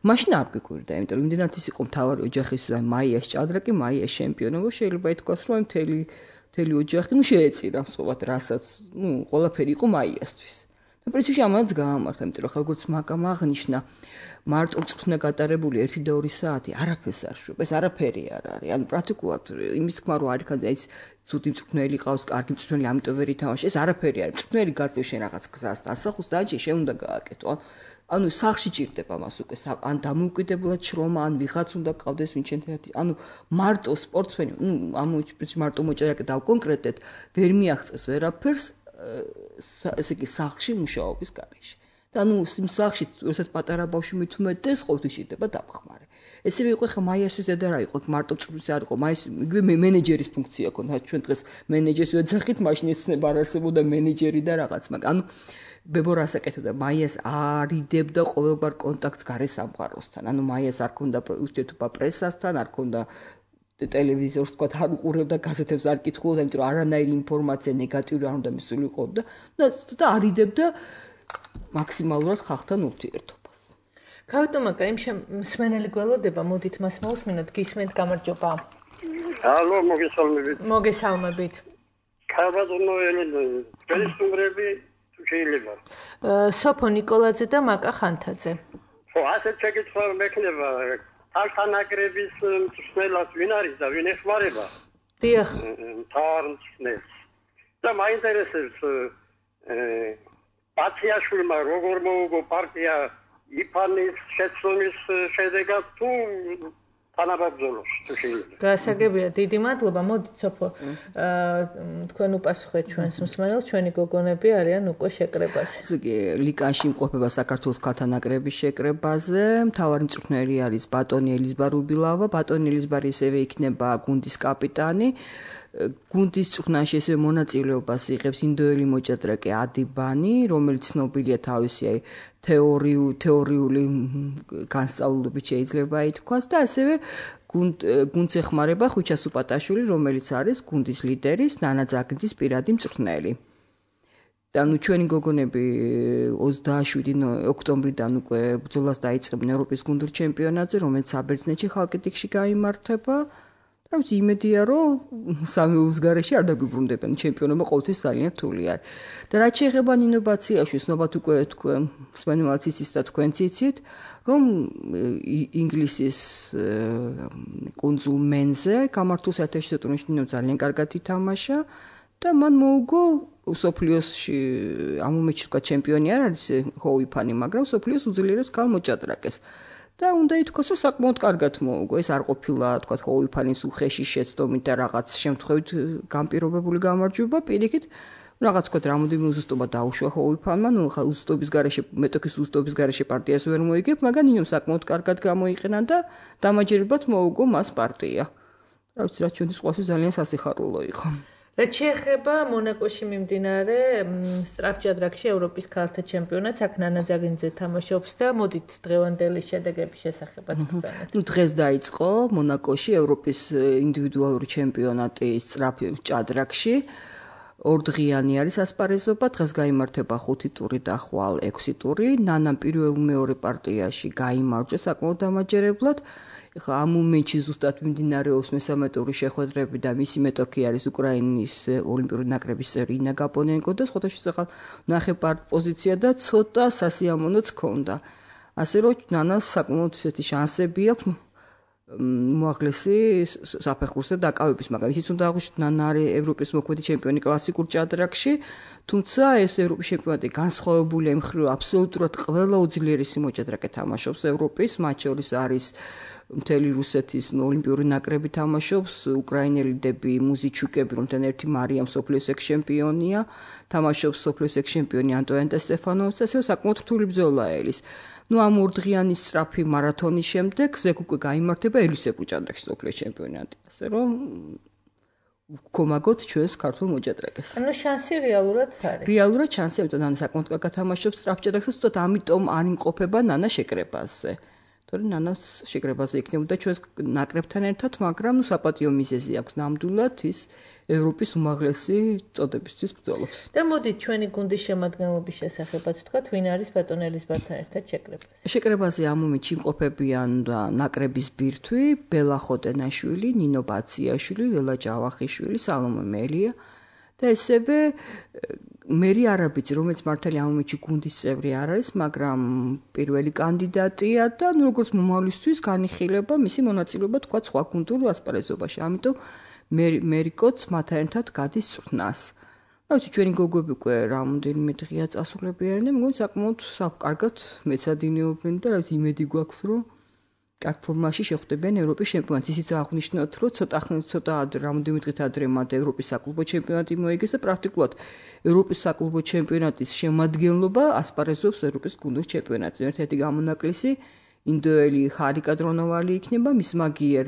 მაშინ არ გიკვირდა, იმიტომ რომ იმდენად ის იყო მთავარი ოჯახის, აი მაიას ჭადრაკი, მაიას ჩემპიონობა, შეიძლება ითქვას, რომ მთელი ოჯახი ნუ შეეწირა მსovat, რასაც ნუ ყველაფერი იყო მაიასთვის. და პრინციპში ამაც გაამართა, იმიტომ რომ როგორც მაგამ აღნიშნა, მარტო მწვრთნა გატარებული 1 და 2 საათი არაფერს არ შვებ, ეს არაფერი არ არის. ანუ პრაქტიკულად იმის თქმა რომ არის ხანძი, ის ცუდი მწვრთნელი ყავს, კარგი მწვრთნელი, ამიტომ ვერ ითამაშე, ეს არაფერი არის. მწვრთნელი გაწევ შენ რაღაც გზას და ასახოს და შენ უნდა გააკეთო. ანუ სახში ჭირდება მას უკვე, ან დამოუკიდებლად შრომა, ან ვიღაც უნდა გყავდეს ვინ ჩემთანაც. ანუ მარტო სპორტსმენი, ამოიჭრებს მარტო მოჭერაკე და კონკრეტად ვერ მიაღწევს ვერაფერს ესე იგი სახლში მუშაობის გარეშე. და ნუ იმ სახლში, როდესაც პატარა ბავშვი მithumetes ყოველთვის ჭირდება დამხმარე. ესევე იყო ხა მაიასის დედა რა იყო, მარტო წვრთნის არ იყო, მაის იგივე მენეჯერის ფუნქცია ჰქონდა. ჩვენ დღეს მენეჯერს ვეძახით, მაშინ ეცნება არ არსებობდა მენეჯერი და რაღაც, მაგრამ ანუ ბებო რას აკეთებდა, მაიას არიდებდა ყოველგვარ კონტაქტს გარე სამყაროსთან. ანუ მაიას არ ქონდა ურთიერთობა პრესასთან, არ ქონდა ტელევიზორს თქვა არ უყურებდა გაზეთებს არ კითხულობდა, იმიტომ რომ არანაირი ინფორმაცია ნეგატიური არ უნდა მისულიყო და არიდებდა მაქსიმალურად ხალხთან ურთიერთობას. ქავტომაკა იმ მსმენელი გველოდება, მოდით მას მოусმინოთ, გისმენთ, გამარჯობა. ალო, მოგესალმებით. მოგესალმებით. ქავატონო ელენე, პერსონები თუ შეიძლება. სოფო ნიკოლაძე და მაკა ხანთაძე. ხო, ასეთ შეკითხვა მექნება. ალთანაკრების მსმენელს ვინ არის და ვინ ეხმარება? დიახ. მთავარ მსმენელს. და მაინტერესებს პაციაშვილმა როგორ მოუგო პარტია იფანის შეცდომის შედეგად თუ თანაბრძოლოს თუ შეიძლება. გასაგებია, დიდი მადლობა. მოდით სოფო, თქვენ უპასუხეთ ჩვენს მსმენელს, ჩვენი გოგონები არიან უკვე შეკრებაზე. ლიკაში იმყოფება საქართველოს ქალთა ნაკრების შეკრებაზე. მთავარი მწვრთნელი არის ბატონი ელიზბარ უბილავა. ბატონი ელიზბარი ისევე იქნება გუნდის კაპიტანი. გუნდის წვრთნაში ესე მონაწილეობას იღებს ინდოელი მოჭადრაკე ადიბანი, რომელიც ცნობილია თავისი თეორიული განსწავლულობით შეიძლება ითქვას და ასევე გუნდს ეხმარება ხვიჩა სუპატაშვილი, რომელიც არის გუნდის ლიდერის ნანა ძაგნიძის პირადი მწვრთნელი. და ჩვენი გოგონები 27 ოქტომბრიდან უკვე ბრძოლას დაიწყებენ ევროპის გუნდურ ჩემპიონატზე, რომელიც საბერძნეთში ხალკიდიკში გაიმართება. Am-ți imediat sami uzgareși ar da gubrundepen championoma ყოველთვის ძალიან რთული არის. და რაც შეეხება ინოვაციაში, ცნობა თქვენ სპანიოლაცის და თქვენ ციცით, რომ ინგლისის კონსულ მენზე გამართულ საერთაშორისო ტურნირში ძალიან კარგად ითამაშა და მან მოუგო სოფლიოსში ამომეჩი თქვა ჩემპიონი არ არის ჰოუიფანი, მაგრამ სოფლიოს უძლიერეს ქალ მოჭადრაკეს. და უნდა ითქვას, რომ საკმაოდ კარგად მოუგო. ეს არ ყოფილა, თქვა, ჰოუიფანის უხეში შეცდომით და რაღაც შემთხვევით განპირობებული გამარჯვება, პირიქით, რაღაც თქვა, რამოდენიმე უზუსტობა დაუშვა ჰოუიფანმა, ნუ ხა უზუსტობის გარეშე, მეტოქის უზუსტობის გარეშე პარტიას ვერ მოიგებ, მაგრამ ინო საკმაოდ კარგად გამოიყენა და დამაჯერებლად მოუგო მას პარტია. რა ვიცი, რა ჩვენთვის ყოველთვის ძალიან სასიხარულო იყო. რაც შეეხება მონაკოში მიმდინარე სწრაფჭადრაკში ევროპის ქალთა ჩემპიონატს, აქ ნანა ძაგნიძე თამაშობს და მოდით დღევანდელი შედეგების შესახებაც გწამეთ. ნუ დღეს დაიწყო მონაკოში ევროპის ინდივიდუალური ჩემპიონატი სწრაფჭადრაკში. ორდღიანი არის ასპარეზობა, დღეს გაიმართება 5 ტური და ხვალ 6 ტური. ნანამ პირველ-მეორე პარტიაში გაიმარჯვა საკმაოდ დამაჯერებლად. ხა ამ მომენტში ზუსტად მიმდინარეობს მესამე ტურის შეხვედრები და მისი მეტოქი არის უკრაინის ოლიმპიური ნაკრების წევრი ინა გაპონენკო და სხვადასხვა ახალ ნახევარ პოზიცია და ცოტა სასიამოვნოც ჰქონდა. ასე რომ ნანას საკმაოდ ისეთი შანსები აქვს მოაღლესი საფეხურზე დაკავების, მაგრამ ისიც უნდა აღვნიშნოთ, ნანა არის ევროპის მოქმედი ჩემპიონი კლასიკურ ჭადრაკში, თუმცა ეს ევროპის ჩემპიონატი განსხვავებულია იმ მხრივ, აბსოლუტურად ყველა უძლიერესი მოჭადრაკე თამაშობს ევროპის, მათ შორის არის მთელი რუსეთის ოლიმპიური ნაკრები თამაშობს, უკრაინელიდები, მუზიჩუკები, რომთან ერთი მარიამ სოფლიოს ექს-ჩემპიონია, თამაშობს სოფლიოს ექს-ჩემპიონი ანტოანეტა სტეფანოვიც და ასევე საკმაოდ რთული ბრძოლა ელის. ნუ ამ ორდღიანი სწრაფი მარათონის შემდეგ ზეგ უკვე გაიმართება ელისებრ ჭადრაკში სოფლიოს ჩემპიონატი. ასე რომ ვქომაგოთ ჩვენს ქართულ მოჭადრაკეს. ანუ შანსი რეალურად არის. რეალურად შანსი, ამიტომ ნანა საკმაოდ კარგად თამაშობს სწრაფჭადრაკს, უბრალოდ ამიტომ არ იმყოფება ნანა შეკრებაზე. თორემ ნანას შეკრებაზე იქნებოდა ჩვენს ნაკრებთან ერთად, მაგრამ საპატიო მიზეზი აქვს ნამდვილად ის ევროპის უმაღლესი წოდებისთვის ბრძოლობს. და მოდით ჩვენი გუნდის შემადგენლობის შესახებაც ვთქვათ, ვინ არის ბატონ ელიზბართან ერთად შეკრებაზე. შეკრებაზე ამ მომენტში იმყოფებიან ნაკრების ბირთვი, ბელა ხოტენაშვილი, ნინო ბაციაშვილი, ლელა ჯავახიშვილი, სალომე მელია და ესევე მერი არაბიძე, რომელიც მართალი ამ მომენტში გუნდის წევრი არ არის, მაგრამ პირველი კანდიდატია და როგორც მომავლისთვის განიხილება მისი მონაწილეობა თქვა სხვა გუნდურ ასპარეზობაში. ამიტომ მერიკოც მათთან ერთად გადის წვრთნას. რა ვიცი, ჩვენი გოგოები უკვე რამოდენიმე დღეა წასულებიან და მგონი საკმაოდ კარგად მეცადინეობენ და რა ვიცი, იმედი გვაქვს, რომ კარგ ფორმაში შეხვდებიან ევროპის ჩემპიონატს. ისიც აღნიშნოთ, რომ ცოტა რამოდენიმე დღით ადრე მათ ევროპის საკლუბო ჩემპიონატი მოიგეს და პრაქტიკულად ევროპის საკლუბო ჩემპიონატის შემადგენლობა ასპარეზობს ევროპის გუნდურ ჩემპიონატზე. ერთ-ერთი გამონაკლისი ინდოელი ხარიკა დრონოვალი იქნება, მის მაგიერ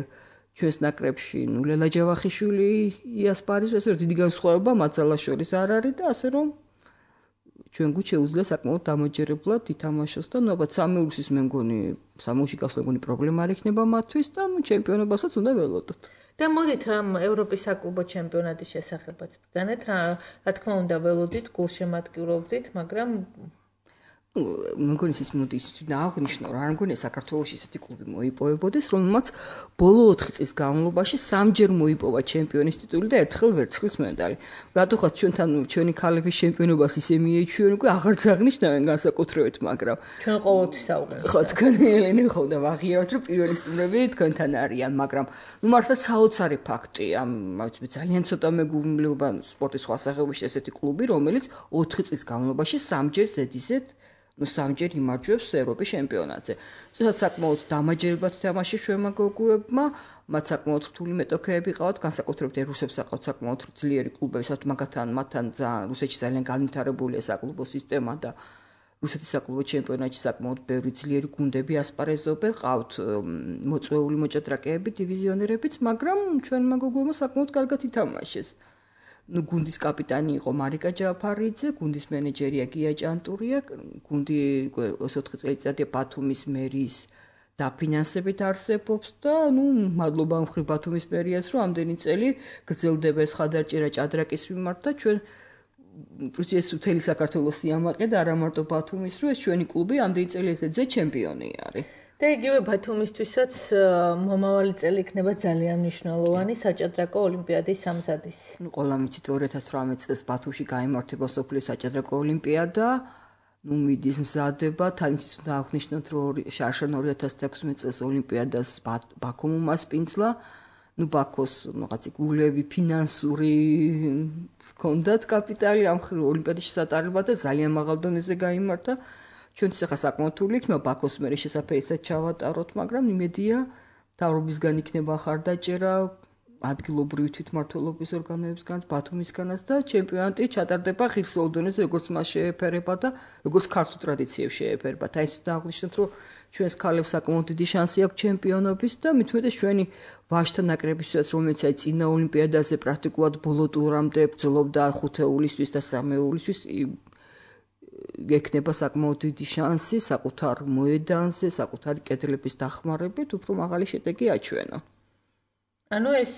ჩვენს ნაკრებში ლელა ჯავახიშვილი იასპარეზობს, ესე რომ დიდი განსხვავება მათ ძალას შორის არ არის და ასე რომ ჩვენ გუნდს შეუძლია საკმაოდ დამაჯერებლად ითამაშოს და ალბათ სამეულსის მე მგონი სამეულში გასვლა მგონი პრობლემა არ იქნება მათთვის და ჩემპიონობასაც უნდა ველოდოთ. და მოდით ამ ევროპის საკლუბო ჩემპიონატის შესახებაც ბრძანეთ, რა თქმა უნდა ველოდით, გულშემატკივრობდით, მაგრამ მგონი ის მოდის დააღნიშნო რა მგონი საქართველოს ისეთი კლუბი მოიპოვებოდეს რომელმაც ბოლო 4 წლის განმავლობაში 3ჯერ მოიპოვა ჩემპიონის ტიტული და ერთხელ ვერცხლის медаლი. რატოხაც ჩვენი ქალების ჩემპიონობას ისე მიეჩვენ უკვე აღარც აღნიშნავენ განსაკუთრებით მაგრამ ჩვენ ყოველთვის საუბრობთ. ხო თქვენი ელენე ხო და ვაღიარებთ რომ პირველი სტუმრები თქვენთან არიან მაგრამ მართლაც საოცარი ფაქტია ვიცი ძალიან ცოტა მეგობრობა სპორტის სხვა სახეობაში ესეთი კლუბი რომელიც 4 წლის განმავლობაში 3ჯერ ზედიზედ სამჯერ იმარჯვებს ევროპის ჩემპიონატზე. ცოტა საკმაოდ დამაჯერებლად თამაშის ჩვენმა გოგოებმა, მათ საკმაოდ რთული მეტოქეები ყავთ, განსაკუთრებით რუსებს აყავთ საკმაოდ ძლიერი კლუბები, სადაც მათთან რუსეთში ძალიან განვითარებულია საკლუბო სისტემა და რუსეთის საკლუბო ჩემპიონატში საკმაოდ ბევრი ძლიერი გუნდები ასპარეზობენ, ყავთ მოწვეული მოჭადრაკეები, დივიზიონერებიც, მაგრამ ჩვენმა გოგოებმა საკმაოდ კარგად ითამაშეს. გუნდის კაპიტანი იყო მარიკა ჯაფარიძე, გუნდის მენეჯერია გია ჭანტურია, გუნდი 24 წელიწადია ბათუმის მერის დაფინანსებით არსებობს და მადლობა მხრივ ბათუმის მერიას, რომ ამდენი წელი გრძელდება ეს ხადარჭერა ჭადრაკის მიმართ და ჩვენ ეს მთელი საქართველოს სიამაყე და არა მარტო ბათუმის, რომ ეს ჩვენი კლუბი ამდენი წელი ესეზე ჩემპიონი არის. და იგივე ბათუმისთვისაც მომავალი წელი იქნება ძალიან მნიშვნელოვანი საჭადრაკო ოლიმპიადის სამზადისი. ყველა მიცით 2018 წელს ბათუმში გაიმართება სოფლიო საჭადრაკო ოლიმპიადა. მიდის მზადება, თან ისიც უნდა აღნიშნოთ, რომ შარშან 2016 წელს ოლიმპიადას ბაქომ უმასპინძლა. ბაქოს რაღაცი გულები ფინანსური ჰქონდათ კაპიტალი ამ ოლიმპიადის შესატარებლად და ძალიან მაღალ დონეზე გაიმართა. ჩვენთვის ახლა საკმაოდ რთული იქნება ბაქოს მერე შესაძლებელად ჩავატაროთ, მაგრამ იმედია მთავრობისგან იქნება ხარდაჭერა ადგილობრივი თვითმმართველობის ორგანოებისგანაც, ბათუმისგანაც და ჩემპიონატი ჩატარდება ღირსეულ დონეზე, როგორც მას შეეფერება და როგორც ქართულ ტრადიციებს შეეფერება. და ისიც აღნიშნოთ, რომ ჩვენს ქალებს საკმაოდ დიდი შანსი აქვს ჩემპიონობის და მithumetes ჩვენი ვაჟთა ნაკრებისაც, რომელიც აი წინა ოლიმპიადაზე პრაქტიკულად ბოლო ტურამდე ბრძოლობდა 5 ივლისთვის და 3 ივლისთვის გექნება საკმაოდ დიდი შანსი საკუთარ მოედანზე, საკუთარი კედლების დახმარებით უფრო მაღალი შედეგი აჩვენა. ანუ ეს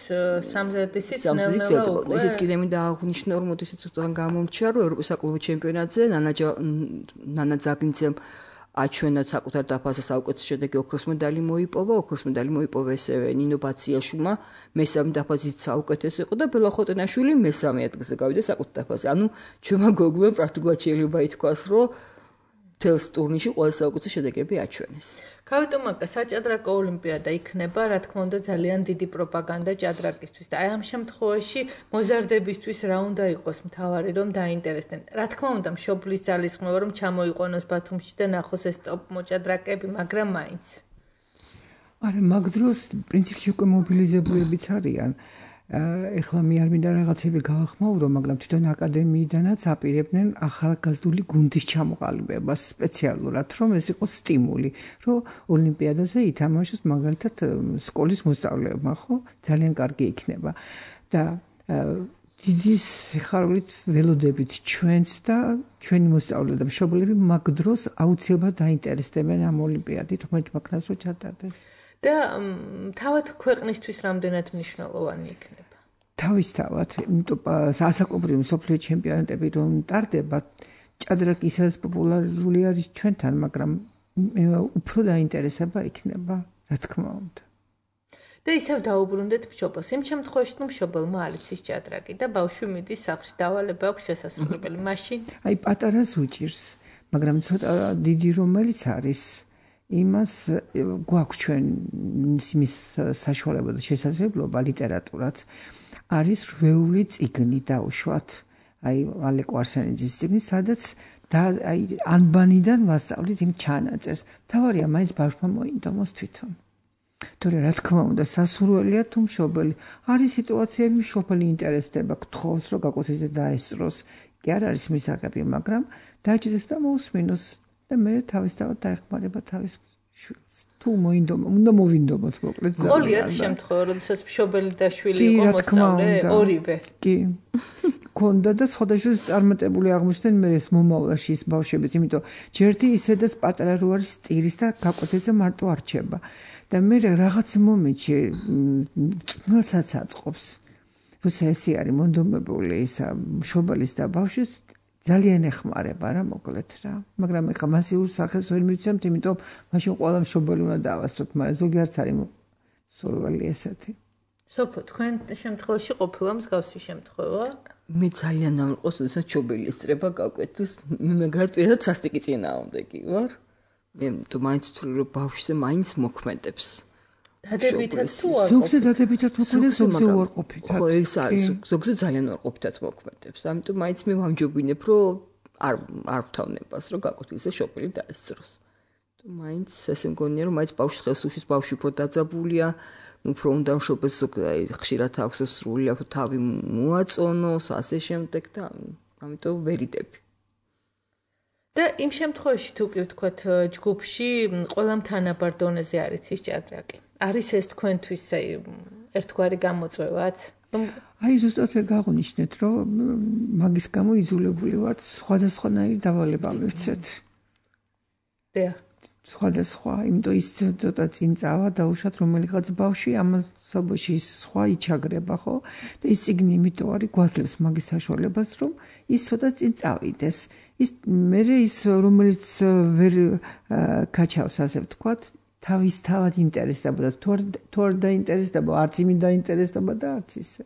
სამზადისიც ნელ-ნელა უკვე ესეც კიდე მინდა აღნიშნო, რომ ისიც უთან გამომჩა, რომ ევროპის საკლუბო ჩემპიონატზე ნანა ძაგნიძემ აჩვენა საკუთარ დაფაზე საუკეთესო შედეგი ოქროს მედალი მოიპოვა, ოქროს მედალი მოიპოვა ესევე ნინო ბაციაშვილმა, მესამე დაფაზით საუკეთესო იყო და ბელა ხოტენაშვილი მესამე ადგილზე გავიდა საკუთარ დაფაზე. ანუ ჩვენმა გოგოებმა პრაქტიკულად შეიძლება ითქვას, რომ თელს ტურნირში ყველა საუკეთესო შედეგები აჩვენეს. გავიტომაკა საჭადრაკო ოლიმპიადა იქნება, რა თქმა უნდა, ძალიან დიდი პროპაგანდა ჭადრაკისთვის და აი ამ შემთხვევაში მოზარდებისთვის რა უნდა იყოს მთავარი, რომ დაინტერესდნენ. რა თქმა უნდა, მშობლის ძალისხმევა რომ ჩამოიყვანოს ბათუმში და ნახოს ეს ტოპ მოჭადრაკეები, მაგრამ მაინც. არა, მაგ დროს პრინციპში უკვე მობილიზებულებიც არიან. ეხლა მე არ მინდა რაღაცები გავახმაურო, მაგრამ თვითონ აკადემიიდანაც აპირებდნენ ახალგაზრდული გუნდის ჩამოყალიბებას სპეციალურად, რომ ეს იყოს სტიმული, რომ ოლიმპიადაზე ითამაშოს მაგალითად სკოლის მოსწავლეებმა, ხო? ძალიან კარგი იქნება. და დიდი სიხარულით ველოდებით ჩვენც და ჩვენი მოსწავლეები და მშობლები მაგ დროს აუცილებლად დაინტერესდებიან ამ ოლიმპიადით, რომელიც მაგას რო ჩატარდეს. და თავად ქვეყნისთვის რამდენად მნიშვნელოვანი იქნება? თავისთავად, იმიტომ ასაკობრივი მსოფლიო ჩემპიონატები რომ ტარდება, ჭადრაკი ისედაც პოპულარული არის ჩვენთან, მაგრამ უფრო დაინტერესება იქნება, რა თქმა უნდა. და ისევ დაუბრუნდეთ მშობელს. იმ შემთხვევაში, რომ მშობელმა არ იცის ჭადრაკი და ბავშვი მიდის სახლში, დავალება აქვს შესასრულებელი, მაშინ აი პატარას უჭირს, მაგრამ ცოტა დიდი რომელიც არის იმას გვაქვს ჩვენ იმის საშუალება და შესაძლებლობა ლიტერატურაც არის რვეული წიგნი დაუშვათ აი ალეკო არსენიძის წიგნი სადაც და აი ანბანიდან ვასწავლით იმ ჩანაწერს თავარია მაინც ბავშვმა მოინდომოს თვითონ თორე რა თქმა უნდა სასურველია თუ მშობელი არის სიტუაციები მშობელი ინტერესდება გთხოვს რომ გაკოთეზე დაესწროს კი არ არის მისაღები მაგრამ დაჭდეს და მოусმინოს და მე თავისთავად დაეხმარება თავის შვილს. თუ მოინდომა, უნდა მოვინდომოთ მოკლედ ძალიან. ყოლიათ შემთხვევა, როდესაც მშობელი და შვილი იყო მოსწავლე, ორივე. კი. ქონდა და სხვადასხვა წარმატებული აღმოჩნდნენ მე ეს მომავალში ის ბავშვებიც, იმიტომ ჯერთი ისედაც პატარა რო არის სტირის და გაკოთეზე მარტო არჩება. და მე რაღაც მომენტში წვნასაც აწყობს. როცა ესე არის მონდომებული ისა მშობელის და ბავშვის ძალიან ეხმარება რა მოკლედ რა. მაგრამ ეხლა მასიურ სახეს ვერ მივცემთ, იმიტომ მაშინ ყველა მშობელი უნდა დავასწროთ, მაგრამ ზოგიერთ არის სურვილი ესეთი. სოფო, თქვენ შემთხვევაში ყოფილა მსგავსი შემთხვევა? მე ძალიან ამყავს, როდესაც მშობელი ესწრება გაკვეთილს, მე მაგათ პირადად სასტიკი წინააღმდეგი ვარ. მე თუ მაინც ვთვლი, რომ ბავშვზე მაინც მოქმედებს. დადებითად თუ არ ზოგზე დადებითად მოქმედებს, ზოგზე უარყოფითად. ხო, ეს არის, ზოგზე ძალიან უარყოფითად მოქმედებს. ამიტომ მაინც მე ვამჯობინებ, რომ არ ვთავნებას, რომ გაკვეთილზე მშობელი დაესწროს. თუ მაინც ესე მგონია, რომ მაინც ბავშვს ხელს უშლის, ბავშვი უფრო დაძაბულია, უფრო უნდა მშობელს ხშირად აქვს სრული, აქვს თავი მოაწონოს, ასე შემდეგ და ამიტომ ვერიდები. და იმ შემთხვევაში თუ კი ვთქვათ ჯგუფში ყველამ თანაბარ დონეზე არის ის ჭადრაკი. არის ეს თქვენთვის ერთგვარი გამოწვევაც? აი ზუსტად გაღვნიშნეთ, რომ მაგის გამო იზოლებული ვართ, სხვადასხვანაირი დავალება მივცეთ. დიახ. სხვადასხვა, იმიტომ ის ცოტა წინ წავა დაუშვათ რომელიღაც ბავშვი ამასობაში სხვა იჩაგრება, ხო? და ის წიგნი იმიტომ არის გვაძლევს მაგის საშუალებას, რომ ის ცოტა წინ წავიდეს. ის მე ის რომელიც ვერ გაჩავს ასე ვთქვათ, თავის თავად ინტერესდებოდა, თუ არ დაინტერესდება, არც იმით დაინტერესდება და არც ისე.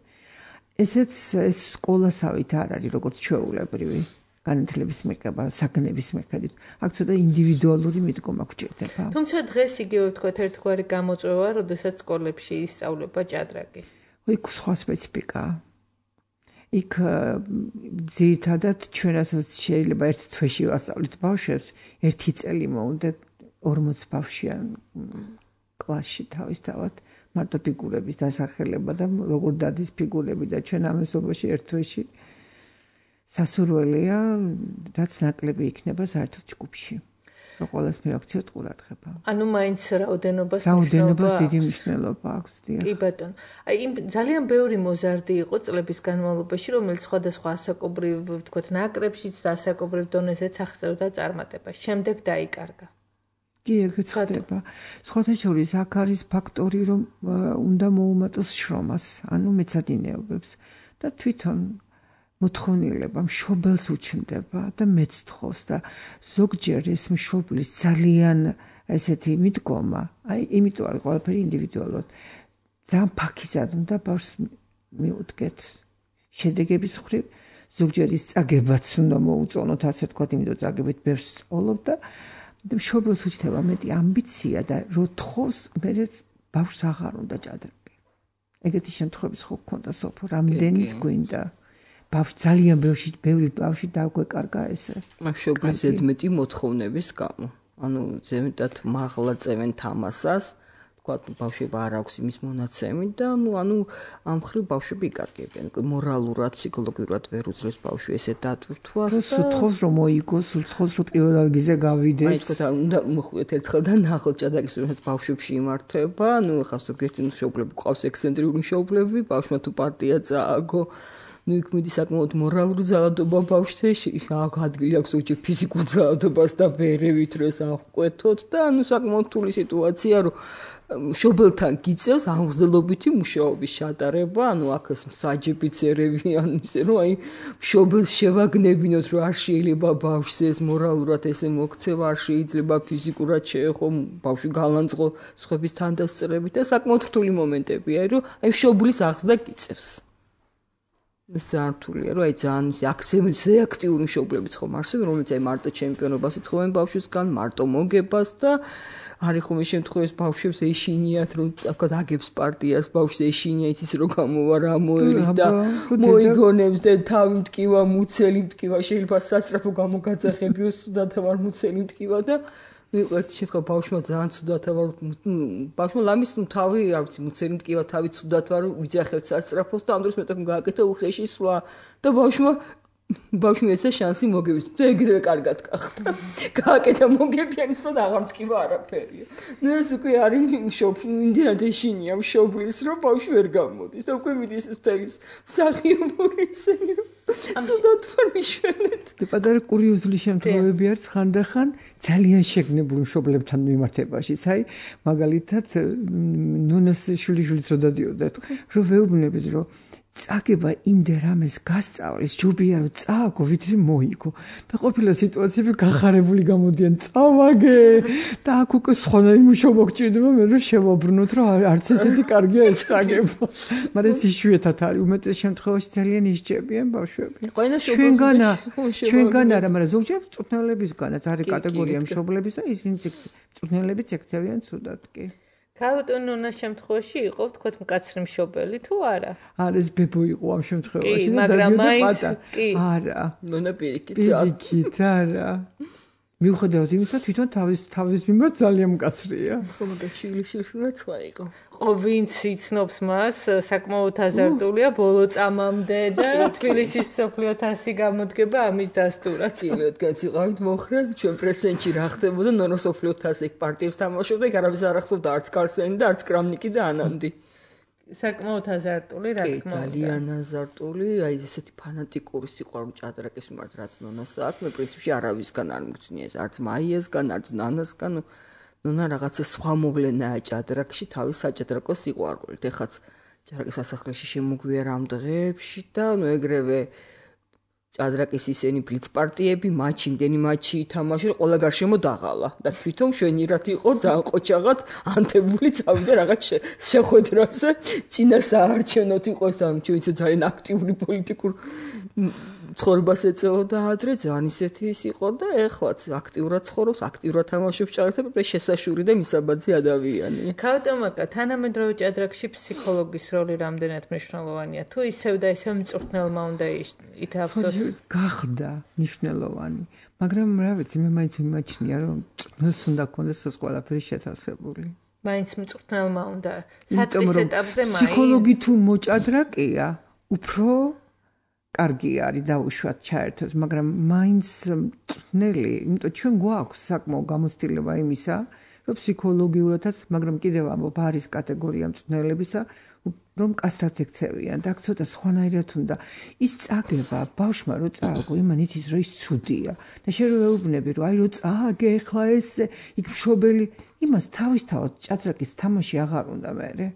ესეც ეს სკოლასავით არ არის როგორც ჩვეულებრივი. განათლების მიღება, საგნების მიხედვით. აქ ცოტა ინდივიდუალური მიდგომა გვჭირდება. თუმცა დღეს იგივე ვთქვათ ერთგვარი გამოწვევა, როდესაც სკოლებში ისწავლება ჭადრაკი. იქ სხვა სპეციფიკაა. იქ ძირითადად ჩვენ რასაც შეიძლება ერთ თვეში ვასწავლით ბავშვებს, ერთი წელი მოუნდათ 40 ბავშვიან კლასში თავისთავად მარტო ფიგურების დასახელება და როგორ დადის ფიგურები და ჩვენ ამასობაში ერთ თვეში სასურველია, რაც ნაკლები იქნება საერთოდ ჯგუფში. რომ ყოველას მივაქციოთ ყურადღება. ანუ მაინც რაოდენობას დიდი მნიშვნელობა აქვს, დიახ. კი ბატონო. აი იმ ძალიან ბევრი მოზარდი იყო წლების განმავლობაში, რომელიც სხვადასხვა ასაკობრივ, ვთქვათ, ნაკრებშიც და ასაკობრივ დონეზეც აღწევდა წარმატებას. შემდეგ დაიკარგა. კი, ეგრეც ხდება. სხვათა შორის აქ არის ფაქტორი, რომ უნდა მოუმატოს შრომას, ანუ მეცადინეობებს და თვითონ მოთხოვნილება მშობელს უჩნდება და მეც თხოვს და ზოგჯერ ეს მშობლის ძალიან ესეთი მიდგომა, აი იმიტომ არის ყველაფერი ინდივიდუალურად. ძალიან ფაქიზად უნდა ბავშვს მიუდგეთ შედეგების მხრივ, ზოგჯერ ის წაგებაც უნდა მოუწონოთ, ასე ვთქვათ, იმიტომ წაგებით ბევრს სწავლობ და მშობელს უჩნდება მეტი ამბიცია და რო თხოვს, მერეც ბავშვს აღარ უნდა ჭადრაკი. ეგეთი შემთხვევები ხო გქონდა სოფო, რამდენიც გვინდა. ბავშვი ძალიან ბევრი ბავშვი დაგვეკარგა ესე. მშობლის ზედმეტი მოთხოვნების გამო. ანუ ზედმეტად მაღლა წევენ თამასას, თქვათ ბავშვებმა არ აქვს იმის მონაცემი და ანუ ამ ხრივ ბავშვები იკარგებიან. მორალურად, ფსიქოლოგიურად ვერ უძლებს ბავშვი ესე დატვირთვას და სულთხოვს რომ მოიგოს, სულთხოვს რომ პირველ ადგილზე გავიდეს. აი თქო უნდა მოხვდეთ ერთხელ და ნახოთ ჭადრაკის რომელიც ბავშვებში იმართება, ანუ ახლა ზოგიერთი მშობლები ყავს ექსცენტრიული მშობლები, ბავშვმა თუ პარტია წააგო ну იქ მიდის საკმაოდ მორალური ძალადობა ბავშვში, აქ ადგილი აქვს უჭი ფიზიკურ ძალადობას და ვერევით რომ ეს აღკვეთოთ და ანუ საკმაოდ რთული სიტუაცია რომ მშობელთან გიწევს აღმზრდელობითი მუშაობის ჩატარება, ანუ აქ ეს მსაჯებიც ერევიან ისე რომ აი მშობელს შევაგნებინოთ რომ არ შეიძლება ბავშვს ეს მორალურად ესე მოქცევა, არ შეიძლება ფიზიკურად შეეხო ბავშვი გალანძღო სხვების თანდასწრებით და საკმაოდ რთული მომენტებია, რომ აი მშობლის აღზრდა გიწევს. სართულია რომ აი ძალიან ისე აქტიური მშობლებიც ხომ არსებენ, რომელიც აი მარტო ჩემპიონობას ეთხოვენ ბავშვისგან, მარტო მოგებას და არის ხომ ეს შემთხვევაში ბავშვებს ეშინიათ რომ თქვათ აგებს პარტიას, ბავშვს ეშინია იცის რომ გამოვა რა მოერის და მოიგონებს და თავი მტკივა, მუცელი მტკივა, შეიძლება სასწრაფო გამოგაძახებიოს და ვარ მუცელი მტკივა და ვიყავთ შეხო ბავშვმა ძალიან ცუდად ვარ ბავშვმა ლამის თავი არ ვიცი მუცელი მტკივა თავი ცუდად ვარ ვიძახებთ სასწრაფოს და ამ დროს მეტყვი გააკეთა უხეში სვლა და ბავშვმა ესა შანსი მოგების და ეგრევე კარგად გახდა გააკეთა მოგებიანი სვლა და აღარ მტკივა არაფერია ნუ ეს უკვე არის იმდენად ეშინია მშობლის რომ ბავშვი ვერ გამოდის და უკვე მიდის ეს ფერის სახიობური ისე ცუდად ვარ მიშვენეთ. პატარა კურიოზული შემთხვევები არის ხანდახან ძალიან შეგნებულ მშობლებთან მიმართებაში. აი, მაგალითად, ნუნას შვილიშვილიც რო დადიოდა, რომ ვეუბნებით, რომ წაგება იმდენ რამეს გასწავლის, ჯობია რომ წააგო, ვიდრე მოიგო. და ყოფილა სიტუაციები გახარებული გამოდიან, წავაგე და აქ უკვე სხვანაირი მუშაობა გჭირდება, მე რომ შევაბრუნოთ, რომ არც ესეთი კარგია ეს წაგება. მაგრამ ეს იშვიათად არის, უმეტეს შემთხვევაში ძალიან ისჭებიან ბავშვები. ჩვენგან არა, მაგრამ ზოგჯერ მწვრთნელებისგანაც არის კატეგორია მშობლების და ისინი მწვრთნელებიც ექცევიან ცუდად კი. ქაუტონონა შემთხვევაში იყო თქვათ მკაცრი მშობელი თუ არა? არა, ეს ბებო იყო ამ შემთხვევაში და დადიოდა პატარა. არა. ნონა პირიქით. პირიქით, არა. მიუხედავად იმისა, თვითონ თავის მიმართ ძალიან მკაცრია. ხომ და შვილიშვილს სხვა იყო. ხო, ვინც იცნობს მას, საკმაოდ აზარტულია ბოლო წამამდე და თბილისის მსოფლიო თასი გამოდგება ამის დასტურად. წილოდგაც იყავით მოხრე, ჩვენ პრესენჩი რა ხდებოდა, ნონა მსოფლიო თასი პარტიებს თამაშობდა, იქ არავის არ ახსოვდა არც კარსენი და არც კრამნიკი და ანანდი. საკმაოდ აზარტული რა თქმა უნდა. ძალიან აზარტული, აი ესეთი ფანატიკური სიყვარული ჭადრაკის მიმართ რაც ნონას აქვს, მე პრინციპში არავისგან არ მგწნია ეს, არც მაიასგან, არც ნანასგან. ნონა რაღაცა სხვა მოვლენაა ჭადრაკში, თავის საჭადრაკო სიყვარულით. ეხაც ჭადრაკის სასახლეში შემოგვია რამ დღეებში და ნუ ეგრევე ჭადრაკის ისენი ბლიცპარტიები, მატჩი, იმდენი მატჩი ითამაშა, ყველა გარშემო დაღალა და თვითონ შვენიერად იყო ძალიან ყოჩაღად ანთებული წავიდა რაღაც შეხვედრაზე, წინა საარჩევნოთ იყო ეს ამ ჩვენც ძალიან აქტიური პოლიტიკურ ცხოვრებას ეწეოდა ადრე, ძალიან ისეთი ის იყო და ეხლაც აქტიურად ცხოვრობს, აქტიურად თამაშობს ჭადრაკს და შესაშური და მისაბაძი ადამიანია. ქაუტომაკა, თანამედროვე ჭადრაკში ფსიქოლოგის როლი რამდენად მნიშვნელოვანია? თუ ისევ და ისევ მწვრთნელმა უნდა ითავსოს? გახდა მნიშვნელოვანი, მაგრამ რა ვიცი, მე მაინც მიმაჩნია, რომ მწვრთნელს უნდა ქონდეს ეს ყველაფერი შეთავსებული. მაინც მწვრთნელმა უნდა საწყის ეტაპზე მაინც ფსიქოლოგი თუ მოჭადრაკია, უფრო კარგი არის დაუშვათ ჩაერთოს, მაგრამ მაინც მწვრთნელი, იმიტომ ჩვენ გვაქვს საკმაო გამოცდილება იმისა, რომ ფსიქოლოგიურადაც, მაგრამ კიდევ ამბობ, არის კატეგორია მწვრთნელებისა, რომ კასრად ექცევიან და ცოტა სხვანაირად უნდა ის წაგება ბავშვმა რო წააგო, იმან იცის რომ ის ცუდია და შენ რო ეუბნები რომ აი რო წააგე ხლა ეს იქ მშობელი იმას თავისთავად ჭადრაკის თამაში აღარ უნდა მერე.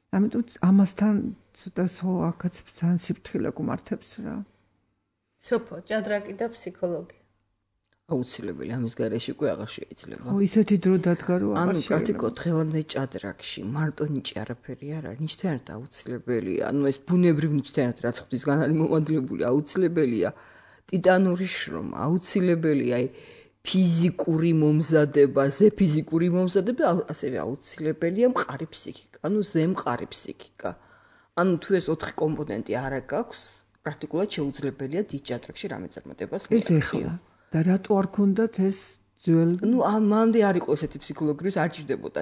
ამიტომ ამასთან ცოტა აქაც ძალიან სიფრთხილე გმართებს რა. სოფო, ჭადრაკი და ფსიქოლოგი. აუცილებელი ამის გარეშე უკვე აღარ შეიძლება. ხო, ისეთი დრო დადგა რომ აღარ შეიძლება. ანუ პრაქტიკულად დღევანდელ ჭადრაკში მარტო ნიჭი არაფერი არ არის, ნიჭთანაც აუცილებელია. ანუ ეს ბუნებრივ ნიჭთანაც რაც ღვთისგან არის მომადლებული, აუცილებელია ტიტანური შრომა, აუცილებელია ფიზიკური მომზადება, ზეფიზიკური მომზადება, ასევე აუცილებელია მყარი ფსიქიკა, ანუ ზემყარი ფსიქიკა. ანუ თუ ეს 4 კომპონენტი არ აქვს, პრაქტიკულად შეუძლებელია დიდ ჭადრაკში რამე წარმატებას მიაღწიო. და რატო არ ქონდათ ეს ძველ? ნუ ამამდე არ იყო ესეთი ფსიქოლოგიის არ ჭირდებოდა.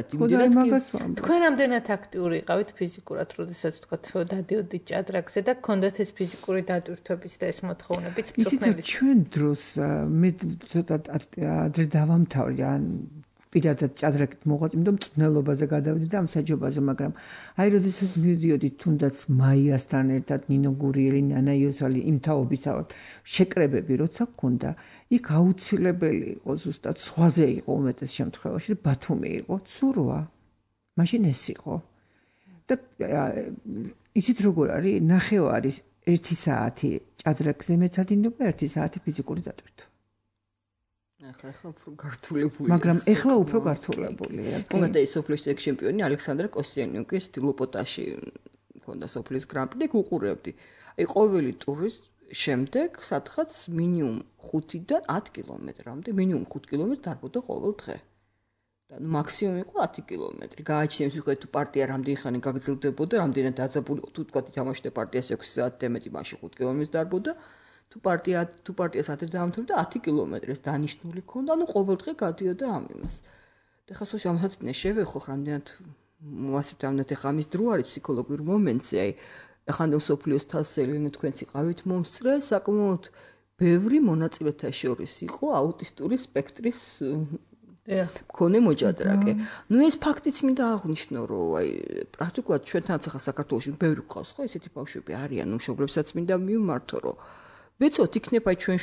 თქვენ რამდენად აქტიური იყავით ფიზიკურად, როდესაც თქვა დადიოდით ჭადრაკზე და გქონდათ ეს ფიზიკური დატვირთვების და ეს მოთხოვნებიც მწვრთნელის? ჩვენ დროს მე ცოტა ადრე დავამთავრე ან პირადად ჭადრაკით მოღვაწ, იმიტომ მწვრთნელობაზე გადავედი და ამ საჯობაზე, მაგრამ აი როდესაც მივიდიოდი თუნდაც მაიასთან ერთად, ნინო გურიელი, ნანა იოსალი იმ თაობისავად შეკრებები როცა გქონდა, იქ აუცილებელი იყო ზუსტად სხვაზე იყო უმეტეს შემთხვევაში და ბათუმი იყო, ცურვა. მაშინ ეს იყო. და იცით როგორ არის, ნახევარი 1 საათი ჭადრაკზე მეცადინება, 1 საათი ფიზიკური დატვირთვა. ახლა უფრო გართულებულია. მაგრამ ახლა უფრო გართულებულია. კონდა ის სოფლის ჩემპიონი ალექსანდრე კოსტიანიუკი სტილოპოტაში კონდა სოფლის გრან-პრი და უყურებდი. აი ყოველი ტურის შემდეგ სადღაც მინიმუმ 5-დან 10 კილომეტრამდე, მინიმუმ 5 კილომეტრს დარბოდა ყოველ დღე. და მაქსიმუმ იყო 10 კილომეტრი. გააჩნიებს ვიყავით თუ პარტია რამდენი ხანი გაგრძელდებოდა, რამდენად დაძაბული, თუ თქვა ითამაშდა პარტიას 6 საათი და მეტი, მაშინ 5 კილომეტრს დარბოდა. თუ პარტიას ადრე დაამთავრდა 10 კილომეტრს დანიშნული ქონდა, ანუ ყოველ დღე გადიოდა ამ იმას. და ხა სულ ამასაც მე შევეხო რამდენად მოასწრებთ ამათ ხა ამის დრო არის ფსიქოლოგიურ მომენტზე, აი ახანდელ სოფლიოს თასელი თქვენც იყავით მომსწრე, საკმაოდ ბევრი მონაწილეთა შორის იყო აუტისტური სპექტრის მქონე მოჭადრაკე. ნუ ეს ფაქტიც მინდა აღვნიშნო, რომ აი პრაქტიკულად ჩვენთანაც ახლა საქართველოში ბევრი გვყავს ხო ესეთი ბავშვები არიან, მშობლებსაც მინდა მივმართო, რომ ვეცოთ იქნება ჩვენ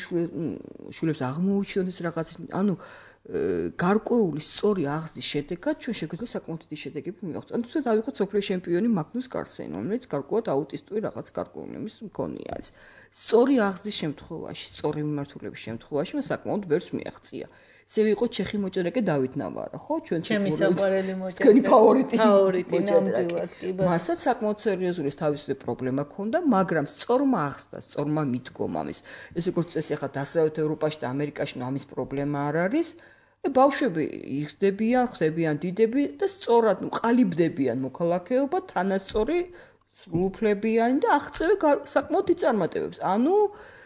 შულებს აღმოუჩინოს რაღაც, ანუ გარკვეული სწორი აღზრდის შედეგად ჩვენ შეგვიძლია საკმაოდ დიდი შედეგები მივაღწევთ. ანუ თუნდაც დავიხოთ სოფლიო ჩემპიონი მაგნუს კარლსენი, რომელიც გარკვეულად აუტისტური რაღაც გარკვეული იმის მქონია არის. სწორი აღზრდის შემთხვევაში, სწორი მიმართულების შემთხვევაში მას საკმაოდ ბევრს მიაღწია. ესე ვიყო ჩეხი მოჭადრაკე დავით ნავარა, ხო? ჩვენ ჩემი საყვარელი მოჭადრაკე. თქვენი ფავორიტი. ფავორიტი ნამდვილად კი. მასაც საკმაოდ სერიოზული თავისი პრობლემა ჰქონდა, მაგრამ სწორმა აღზრდა, სწორმა მიდგომამ ეს როგორც წესი ახლა დასავლეთ ევროპაში და ამერიკაში ამის პრობლემა არ არის. ბავშვები იხდებიან, ხდებიან დიდები და სწორად ყალიბდებიან მოქალაქეობა, თანასწორი სრულუფლებიანი და აღწევი საკმაოდ იწარმოებებს. ანუ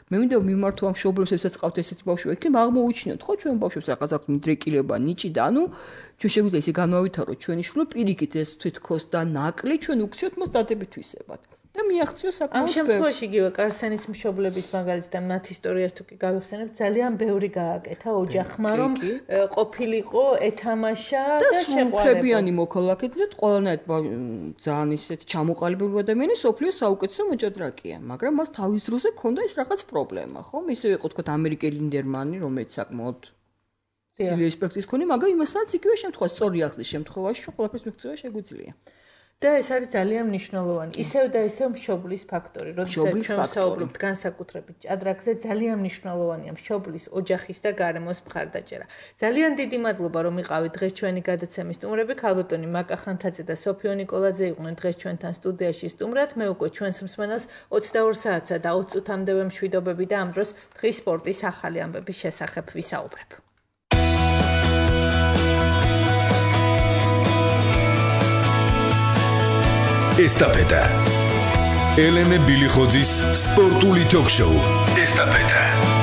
მე მინდა მიმართო ამ მშობლებს, ესაც ყავთ ესეთი ბავშვები, იქნებ აღმოუჩინოთ, ხო, ჩვენ ბავშვებს რაღაც აქვს მიდრეკილება, ნიჭი და ანუ ჩვენ შეგვიძლია ისე განავითაროთ ჩვენი შვილები, პირიქით ეს თვითქოს და ნაკლი ჩვენ უქციოთ მას დადებითვისებად. და მიაღწიო საკმაოდ ამ შემთხვევაში იგივე კარსენის მშობლების მაგალითად მათ ისტორიას თუ კი გავიხსენებთ, ძალიან ბევრი გააკეთა ოჯახმა, რომ ყოფილიყო, ეთამაშა და შეყვარებიანი მოქალაქე და ყველანაირ ძალიან ისეთ ჩამოყალიბებული ადამიანი სოფლიოს საუკეთესო მოჭადრაკეა, მაგრამ მას თავის დროზე ჰქონდა ის რაღაც პრობლემა, ხო? ისე იყო თქვა ამერიკელი ლინდერმანი, რომელიც საკმაოდ ძლიერი პრაქტიკის მქონე, მაგრამ იმასაც იგივე შემთხვევა, სწორი აღზრდის შემთხვევაში ყველაფერს მიღწევა შეგვიძლია. და ეს არის ძალიან მნიშვნელოვანი. ისევ და ისევ მშობლის ფაქტორი. როდესაც ჩვენ საუბრობთ განსაკუთრებით ჭადრაკზე, ძალიან მნიშვნელოვანია მშობლის, ოჯახის და გარემოს მხარდაჭერა. ძალიან დიდი მადლობა, რომ იყავით დღეს ჩვენი გადაცემის სტუმრები. ქალბატონი მაკა ხანთაძე და სოფიო ნიკოლაძე იყვნენ დღეს ჩვენთან სტუდიაში სტუმრად. მე უკვე ჩვენს მსმენელს 22 საათსა და 20 წუთამდე მშვიდობები და ამ დროს დღის სპორტის ახალი ამბების შესახებ ვისაუბრებ. ესტაფეტა. ელენე ბილიხოძის სპორტული ток-შოუ. ესტაფეტა.